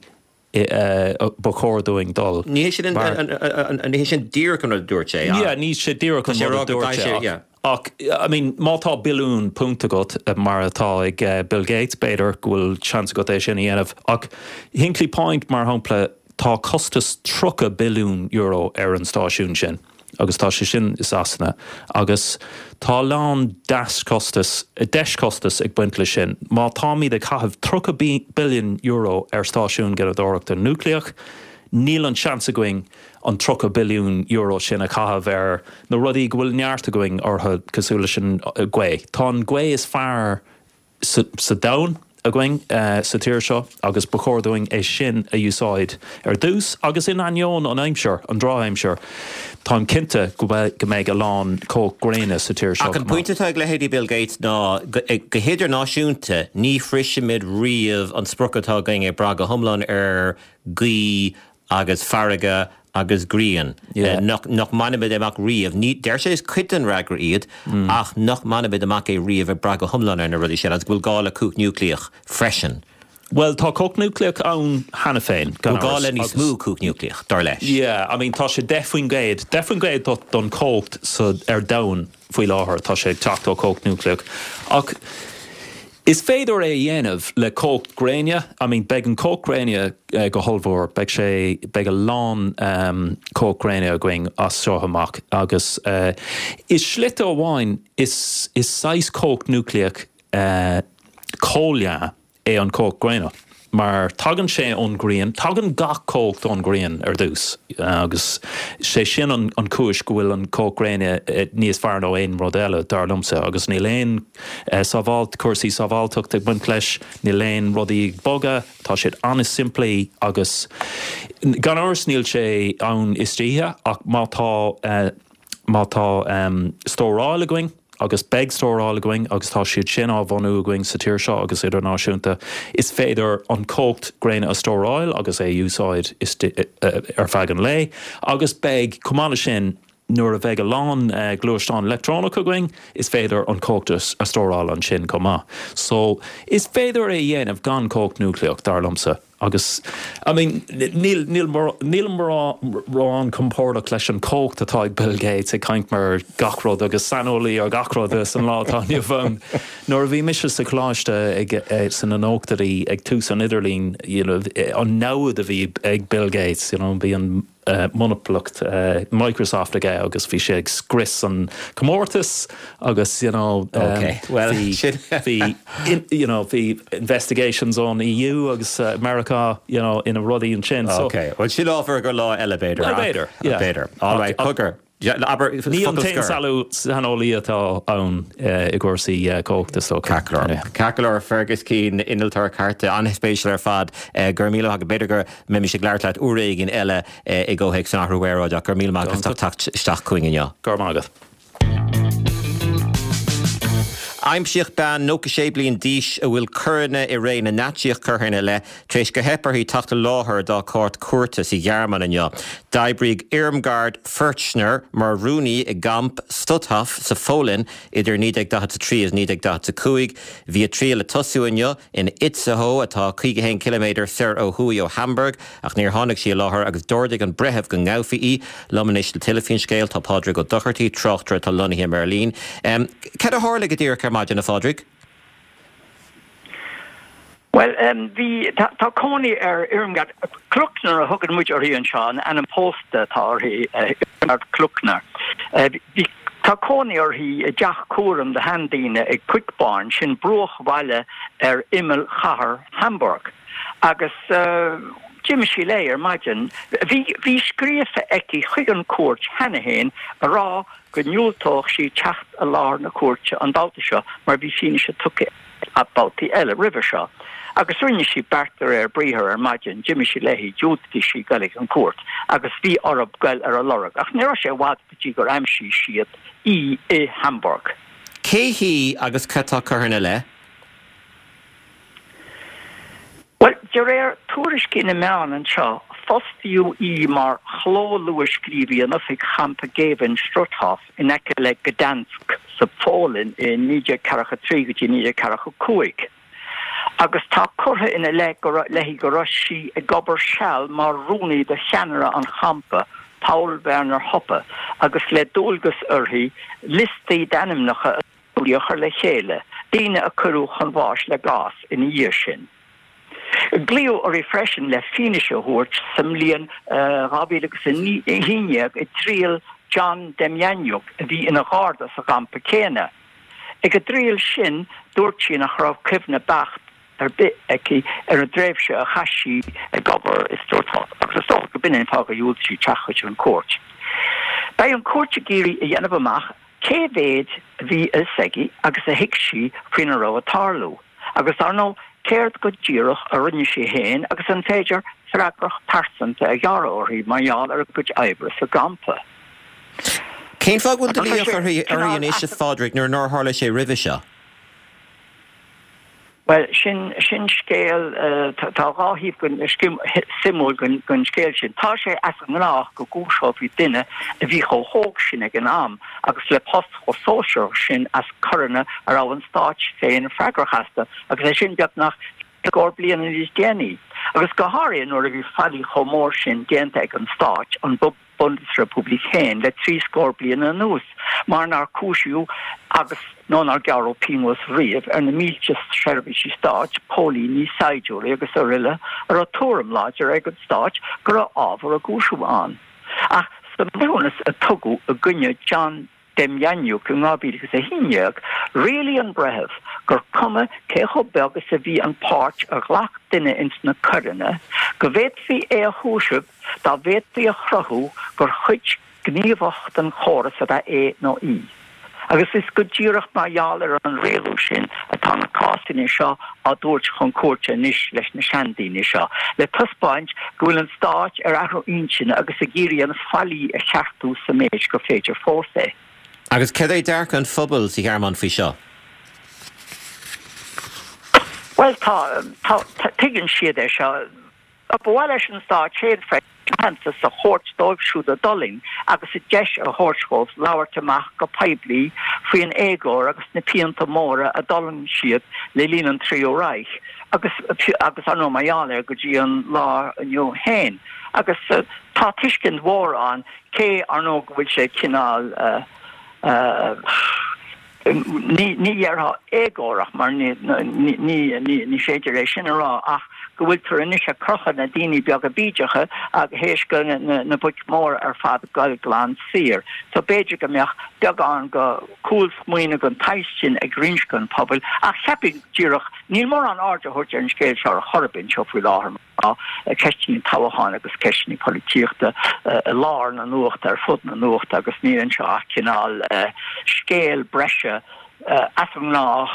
ba chóir dúinn dul. Ní hé sin ní hé sin díreach an rud a dúirt sé ach. Yeah, ní sé díreach an rud a dúirt sé ach I mean má tá billiún punt agat mar atá ag Bill Gates b'fhéidir go bhfuil seans agat é sin a dhéanamh ach Hinkley Point mar shampla tá costas 30 billiún euro ar an stáisiún sin. agus tá sé sin i Sasana, agus tá a lán deaschostas, deischostas ag baint leis sin. Má táimid ag caitheamh 30 billiún euro ar stáisiún gineadóireachta núicléach, níl an seans againn an 30 billiún euro sin a chaitheamh ar na rudaí go bhfuil neart againn orthu, cosúil leis an ghaoth. Tá an ghaoth is fearr sa domhan againn sa tír seo agus ba chóir dúinn é sin a úsáid ar dtús agus in ainneoin an aimsir, an drochaimsir, táim cinnte go mbeidh a lán cumhacht gréine sa tír seo Ach an pointe atá ag leithéidí Bill Gates ná go hidirnáisiúnta ní shroisfimid riamh an sprioc atá againn ag brath go hiomlán ar ghaoth agus farraige agus grian, nach mbainfimid amach riamh, ní, deir sé is cuid den fhreagra iad, ach nach mbainfimid amach é riamh ag brath go hiomlán ar na rudaí sin agus go bhfuil gá le cumhacht núicléach freisin. Bhuel, tá cumhacht núicléach ann cheana féin, gan amhras. Bhfuil gá le níos mó cumhacht núicléach, dar leis. Yeah, I mean, tá sé 10%, 10% don chumhacht sa, ar domhan faoi láthair, tá sé ag teacht ó chumhacht núicléach. Ach Is féidir é a dhéanamh le cumhacht gréine, I mean beidh an cumhacht gréine go hollmhór, beidh sé, beidh a lán cumhacht gréine againn as seo amach agus i slite amháin is, is saghas cumhacht núicléach comhleá é an cumhacht gréine. Mar tagann sé ón ghrian, tagann gach cumhacht ón ghrian ar dtús agus sé sin an chúis go bhfuil an cumhacht gréine níos fearr ná aon rud eile, dar liomsa, agus níl aon sábháilt, cúrsaí sábháilteachta ag baint leis, níl aon rudaí ag bogadh, tá siad an-simplí agus gan amhras níl sé ann istoíche ach má tá, má tá stóráil againn. agus beidh stóráil againn agus tá siad sin á bhunú againn sa tír seo agus idirnáisiúnta, is féidir an cumhacht gréine a stóráil agus é a úsáid ar feadh an lae agus beidh, chomh maith leis sin, nuair a bheidh a lán gluaisteán leictreonach againn, is féidir an cumhacht a stóráil ansin chomh maith. So, is féidir é a dhéanamh gan cumhacht núicléach, dar liomsa. Agus, I mean, níl, níl, nílim mórán compordach leis an chumhacht atá ag Bill Gates ag caint mar gach rud agus saineolaí ar gach rud san lá atá inniu ann. Nuair a bhí mise sa choláiste ag, sna nóchaidí ag tús an idirlín, you know, an namhaid a bhí ag Bill Gates, you know, bhí an, monopolacht Microsoft aige agus bhí sé ag scrios an comórtas agus you know bhí bhí you know bhí investigations ón EU agus Meiriceá you know ina rudaí ansin so. Ok, bhuel sin ábhar go lá eile b'fhéidir. Well b'fhéidir, yeah. B'fhéidir. All right, cogar. Abair, Ní an t-aon saineolaí atá ann i gcúrsaí cumhachta is dócha. Ceart go leor. Ceart go leor, Fergus Keane, innealtóir cairte, an-spéisiúil ar fad. Go raibh míle maith agat. B'fhéidir go mbeimis ag labhairt leat uair éigin eile i gcomhthéacs an athrú aeráide ach go raibh míle maith agat as ucht teacht isteach chugainn inniu. Go raibh maith agat. Aimsíodh bean 96 bliain d'aois a bhfuil coireanna i ré na Naitsíoch curtha ina leith tar éis gur theip uirthi teacht i láthair dá cúirt cúirte sa Ghearmáin inniu. D'oibrigh Irmgard Furchner mar rúnaí i gcamp Stutthof sa Pholainn idir 1943 agus 1945. Bhí a triail le tosú inniu in Itzehoe, atá 51 ciliméadar soir ó thuaidh ó Hamburg, ach níor tháinig sí i láthair agus d'ordaigh an breitheamh go ngabhfaí í. Liom anois le tuilleadh faoin scéal tá Pádraig Ó Dochartaigh, tráchtaire atá lonnaithe i mBeirlín. Cad a tharla go díreach ar maidin, a Phádraig? Bhuel, bhí, tá cónaí ar Irmgard Klöckner a thugann muid uirthi anseo, an ainm pósta atá uirthi, Irmgard Klöckner. Bhí. Tá cónaí uirthi i dteach cúraim do sheandaoine i Quickborn, sin bruachbhaile ar imeall chathair Hamburg, agus d'imigh sí léi ar maidin. Bhí bhí scríofa aici chuig an chúirt cheana féin a rá go ndiúltódh sí teacht i láthair na cúirte an babhta seo mar bhí fianaise tugtha aici babhtaí eile roimhe seo. Agus rinne sí beart de réir briathair ar maidin, d'imigh sí léi, dhiúltaigh sí goil ag an gcúirt agus bhí orthu goil ar a lorg. Ach ní raibh sé i bhfad go dtí gur aimsigh siad í i Hamburg. Cé hí agus cad tá curtha ina leith? Bhuel, de réir tuairiscí na meán anseo, fostaíodh í mar chló-luathscríobhaí in oifig champa géibhinn Struthof in aice le Gdansk sa Pholainn i 1943 go dtí 1945, agus tá curtha ina leith go léi go raibh sí ag obair seal mar rúnaí do cheannaire an champa, Paul Werner Hoppe, agus le dualgas uirthi liostaí d'ainmneacha a a chur le chéile, daoine a cuireadh chun bháis le gás ina dhiaidh sin. Glaodh uirthi freisin le fianaise a thabhairt sa mbliain 2011 i dtriail John Demjanjuk a bhí ina gharda sa gcampa céanna. Ag an dtriail sin dúirt sí nach raibh cuimhne beacht ar bith aici ar an dtréimhse a chaith sí ag obair i Struthof agus is dócha go b'in é an fáth gur dhiúltaigh sí teacht chuig an gcúirt. Beidh an chúirt ag iarraidh a dhéanamh amach cé mhéid a bhí a fhios aici agus a thuig sí faoina raibh ag tarlú, agus dar ndóigh céard go díreach a rinne sí féin agus an féidir freagracht pearsanta a ghearradh uirthi mar gheall ar a cuid oibre sa gcampa. Cén fáth go bhfuil glaoch uirthi anois, a Phádraig, nuair nár tharla sé roimhe seo? Bhuel, sin, sin scéal, tá dhá thaobh den, suimiúil den scéal sin. Tá sé as an ngnách go gcúiseofaí duine a bhí chomh hóg sin ag an am agus le post chomh sóisearach sin as coireanna a raibh an stát féin freagrach astu, agus é sin beagnach scór bliana níos déanaí. Agus go háirithe nuair a bhí faillí chomh mór sin déanta ag an stát, an. Bundesrepublik féin le 30 bliain anuas, mar nár cúisíodh agus, nó nár gearradh pionós riamh ar na mílte seirbhísigh stáit, póilíní, saighdiúirí agus aroile a raibh tuairim láidir ag an stát go raibh ábhar a gcúisimh ann. Ach sa mbreithiúnas a tugadh i gcoinne John Demjanjuk in 2011, rialaigh an breitheamh gur cuma cé chomh beag is a bhí an páirt a ghlac duine ins na coireanna, go bhféadfaí é a chúiseamh dá bhféadfaí a chruthú gur chuid ghníomhach den chóras ab ea é nó í. Agus is go díreach mar gheall ar an rialú sin atá na cásanna seo á dtabhairt chun cúirte anois leis na seandaoine seo, le taispeáint go bhfuil an stát ar athrú intinne agus ag iarraidh an faillí a cheartú sa méid gur féidir fós é. Agus céard é dearcadh an phobail sa Ghearmáin faoi seo? Bhuel, tá, tá, tuigeann siad é seo. Ba mhaith leis an stát féin freisin aitheantas a thabhairt dóibh siúd a d'fhulaing agus an deis a thabhairt dhóibh labhairt amach go poiblí faoin éagóir agus na pianta móra a d'fhulaing siad le linn an Tríú Reich agus agus ar ndóigh mar gheall air go dtí an lá inniu féin. Agus tá tuiscint mhór ann cé ar ndóigh go bhfuil sé cineál Ní dhéarfá éagórach mar ní féidir é sin a rá ach go bhfuiltear anois ag crochadh na daoine beaga bídeacha théis go na boic mhóra ar fad goil glan saor. So b'fhéidir go mbeadh beagán go cúlsmaoineamh den tsaghas sin ag roinnt den pobal ach cheapfainn díreach níl mórán aird á thabhairt ar an scéal seo ar chor ar bith anseo faoi láthair. Tá ceisteanna toghcháin agus ceisteanna polaitíochta i lár na nuachta ar fud na nuachta agus níl anseo ach cineál scéal breise as an ngnách,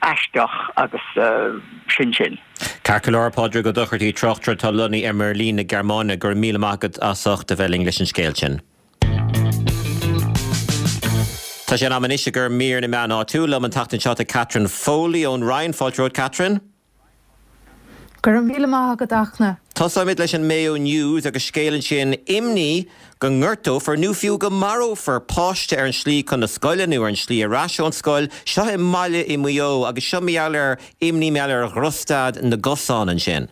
aisteach agus sin sin. Ceart go leor, Pádraig Ó Dochartaigh, tráchtaire atá lonnaithe i mBeirlín na Gearmáine, go raibh míle maith agat as ucht a bheith linn leis an scéal sin. Tá sé in am anois i gcomhair mír na meán áitiúil. Liom an tseachtain seo tá Catherine Foley ón Rinn. Fáilte romhat Catherine. Go raibh míle maith agat Fhachtna. Tosóimid leis an Mayo News agus scéal ansin, imní go ngortófar nó fiú go marófar páiste ar an slí chun na scoile nó ar an slí ar ais ón scoil. Seo i mbaile i Maigh Eo agus seo mar gheall ar imní mar gheall ar dhrochstaid na gcosán ansin.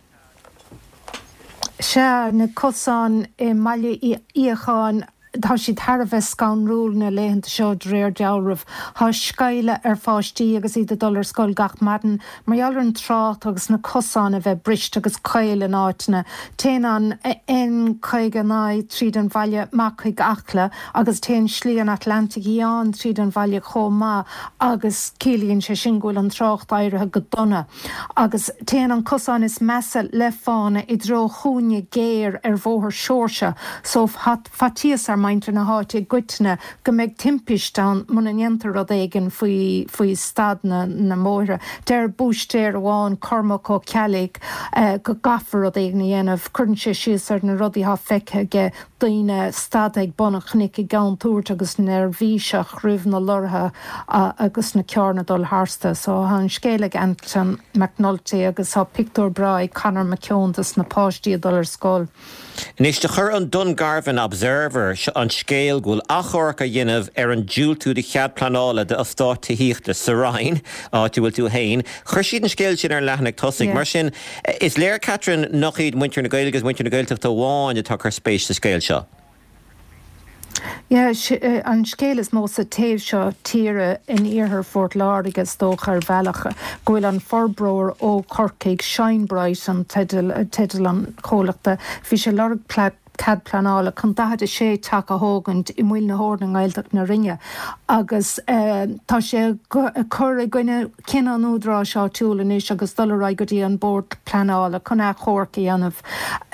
Sea, na cosáin i mBaile Uí Fhiacháin. Tá siad thar a bheith scanrúil na laethanta seo de réir dealraimh. Tá sceimhle ar pháistí agus iad ag dul ar scoil gach maidin mar gheall ar an trácht agus na cosáin a bheith briste agus caol in áiteanna. Téann an N59 tríd an bhaile amach chuig Acla agus téann Slí an Atlantaigh Fhiáin tríd an bhaile chomh maith agus ciallaíonn sé sin go bhfuil an trácht éirithe go dona. Agus téann an cosán is measa le fána i dtreo chúinne géar ar Bhóthar Seoirse so tá faitíos ar mhuintir na háite i gcoitinne go mbeidh timpist ann muna ndéantar rud éigin faoi faoi staid na na mbóithre. Deir búistéir amháin, Cormac Ó Ceallaigh, go gcaithfear rud éigin a dhéanamh. Cuireann sé síos ar na rudaí atá feicthe aige daoine stadta ag bun an chnoic i gcontúirt agus neirbhíseach roimh na lorraithe agus na carranna ag dul tharstu. So tá an scéal ag Anton McNulty agus tá pictiúr breá ag Conor McKeown dos na páistí ag dul ar scoil. Anois, do chuir an Dungarvan Observer an scéal go bhfuil achomharc á dhéanamh ar an diúltú do chead pleanála d'eastát tithíochta sa Rinn, áit a bhfuil tú féin. Chuir siad an scéal sin ar an leathanach tosaigh. Mar sin, Is léir, Catherine, nach iad muintir na Gaeilge agus muintir na Gaeltachta amháin atá ag cur spéis sa scéal seo. Yeah, an scéal is mó sa taobh seo tíre, in iarthar Phort Láirge is dócha, ar bhealach, go bhfuil an forbróir ó Chorcaigh, Shinebright an teideal, teideal an chomhlachta, bhí sé ag lorg cead pleanála chun 46 teach a thógaint i Muileann na hEorna i nGaeltacht na Rinne agus tá sé ag cur i gcoinne cinneadh an údaráis áitiúil anois agus dul ar aghaidh go dtí an Bord Pleanála chun achomharc a dhéanamh.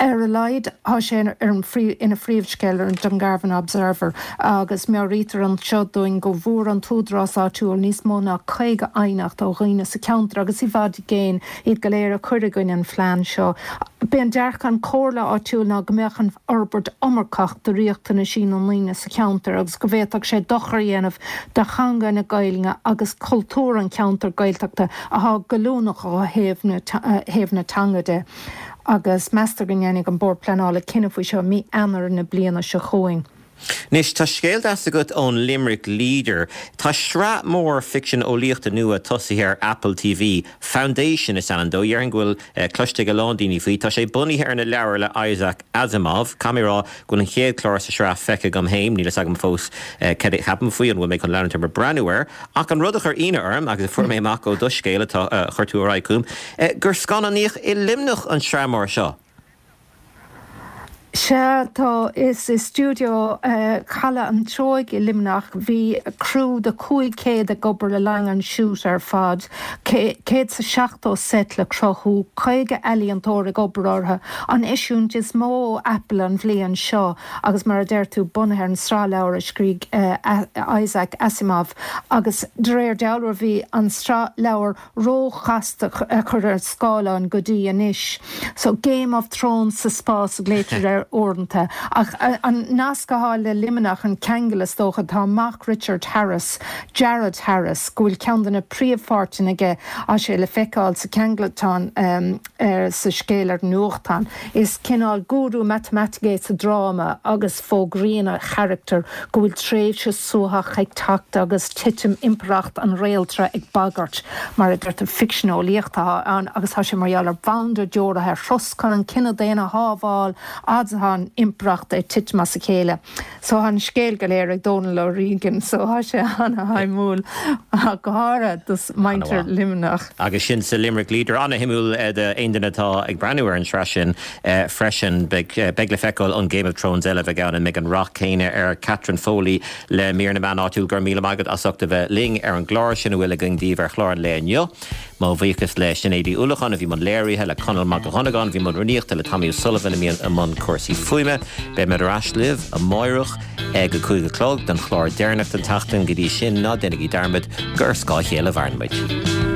Ar a laghad tá sé ina phríomhscéal ar an Dungarvan Observer agus meabhraítear anseo dúinn go bhfuair an t-údarás áitiúil níos mó ná 50 aighneacht ó dhaoine sa cheantar agus i bhfad i gcéin iad go léir ag cur i gcoinne an phlean seo. B'é an dearcadh an chomhairle áitiúil ná go mbeadh an fhorbairt iomarcach do riachtanaisí na ndaoine sa cheantar agus go bhféadfadh sé dochar a dhéanamh do theanga na Gaeilge agus cultúr an cheantair Gaeltachta athá goilliúnach ó thaobh na thaobh na teanga de. Agus meastar go ndéanfaidh an Bord Pleanála cinneadh faoi seo mí Eanáir na bliana seo chugainn. Anois, tá scéal deas agat ón Limerick Leader. Tá sraith mór ficsean eolaíochta nua tosaithe ar Apple TV, Foundation is ainm dó. Déarfainn go bhfuil cloiste ag a lán daoine faoi. Tá sé bunaithe ar na leabhair le Isaac Asimov. Caithfidh mé a rá go bhfuil an chéad chlár sa sraith feicthe agam féin. Níl fhios agam fós cad a cheapaim faoi, an bhfuil mé chun leanúint orm ag breathnú air. Ach an rud a chuir ionadh orm, agus a fuair mé amach ó do scéal atá, a chuir tú ar aghaidh chugam, gur scannánaíodh i Luimneach an tsraith mór seo. Sea, tá. Is i stiúideo Chaladh an Treoigh i Luimneach. Bhí criú de 500 ag obair le linn an shoot ar fad, 170 seit le cruthú, 50 ealaíontóir ag obair orthu. An eisiúint is mó ó Apple an bhliain seo agus mar a deir tú, bunaithe ar an sraith leabhar a scrígh Isaac Asimov agus de réir dealraimh bhí an tsraith leabhar róchasta a chur ar scáileán go dtí anois. So, Game of Thrones sa spás a ghlaoitear air uaireanta. Ach an nasc atá le Luimneach, an ceangal is dócha, tá mac Richard Harris, Jared Harris, go bhfuil ceann de na príomhpháirteanna aige, tá sé le feiceáil sa cheangaltán sa scéal ar an nuachtán. Is cineál gúrú matamaitice é sa dráma agus fógraíonn a charachtar go bhfuil tréimhse suathach ag teacht agus titim impireacht an réaltra ag bagairt. Mar a deirtear, ficsean eolaíochta atá ann agus tá sé mar gheall ar bhanda deoraithe ar thuras chun an cine daonna a shábháil fhad is atá an impireacht ag titim as a chéile. So tá an scéal go léir ag Dónal O'Regan so tá sé ana-shuimiúil, go háirithe do mhuintir Luimneach. Agus sin sa Limerick Leader. Ana-shuimiúil d'aon duine atá ag breathnú ar an tsraith sin freisin. Beidh le feiceáil an Game of Thrones eile a bheidh ann, an mbeidh an rath céanna air. Catherine Foley le mír na meán áitiúil, go raibh míle maith agat as ucht a bheith linn ar an gclár. Sin a bhfuil againn daoibh ar chlár an lae inniu. Mo bhuíochas le Sinéad Uí Uallacháin a bhí i mbun léirithe, le Conall Mac Dhonnagáin a bhí i mbun rúnaíochta, le Tommy O'Sullivan a bhí i mbun cúrsaí fuaime. Beidh muid ar ais libh amáireach ag a 5 a chlog don chlár deireanach den tseachtain. Go dtí sin, ná déanaigí dearmad gur ar scáth a chéile a mhaireann muid.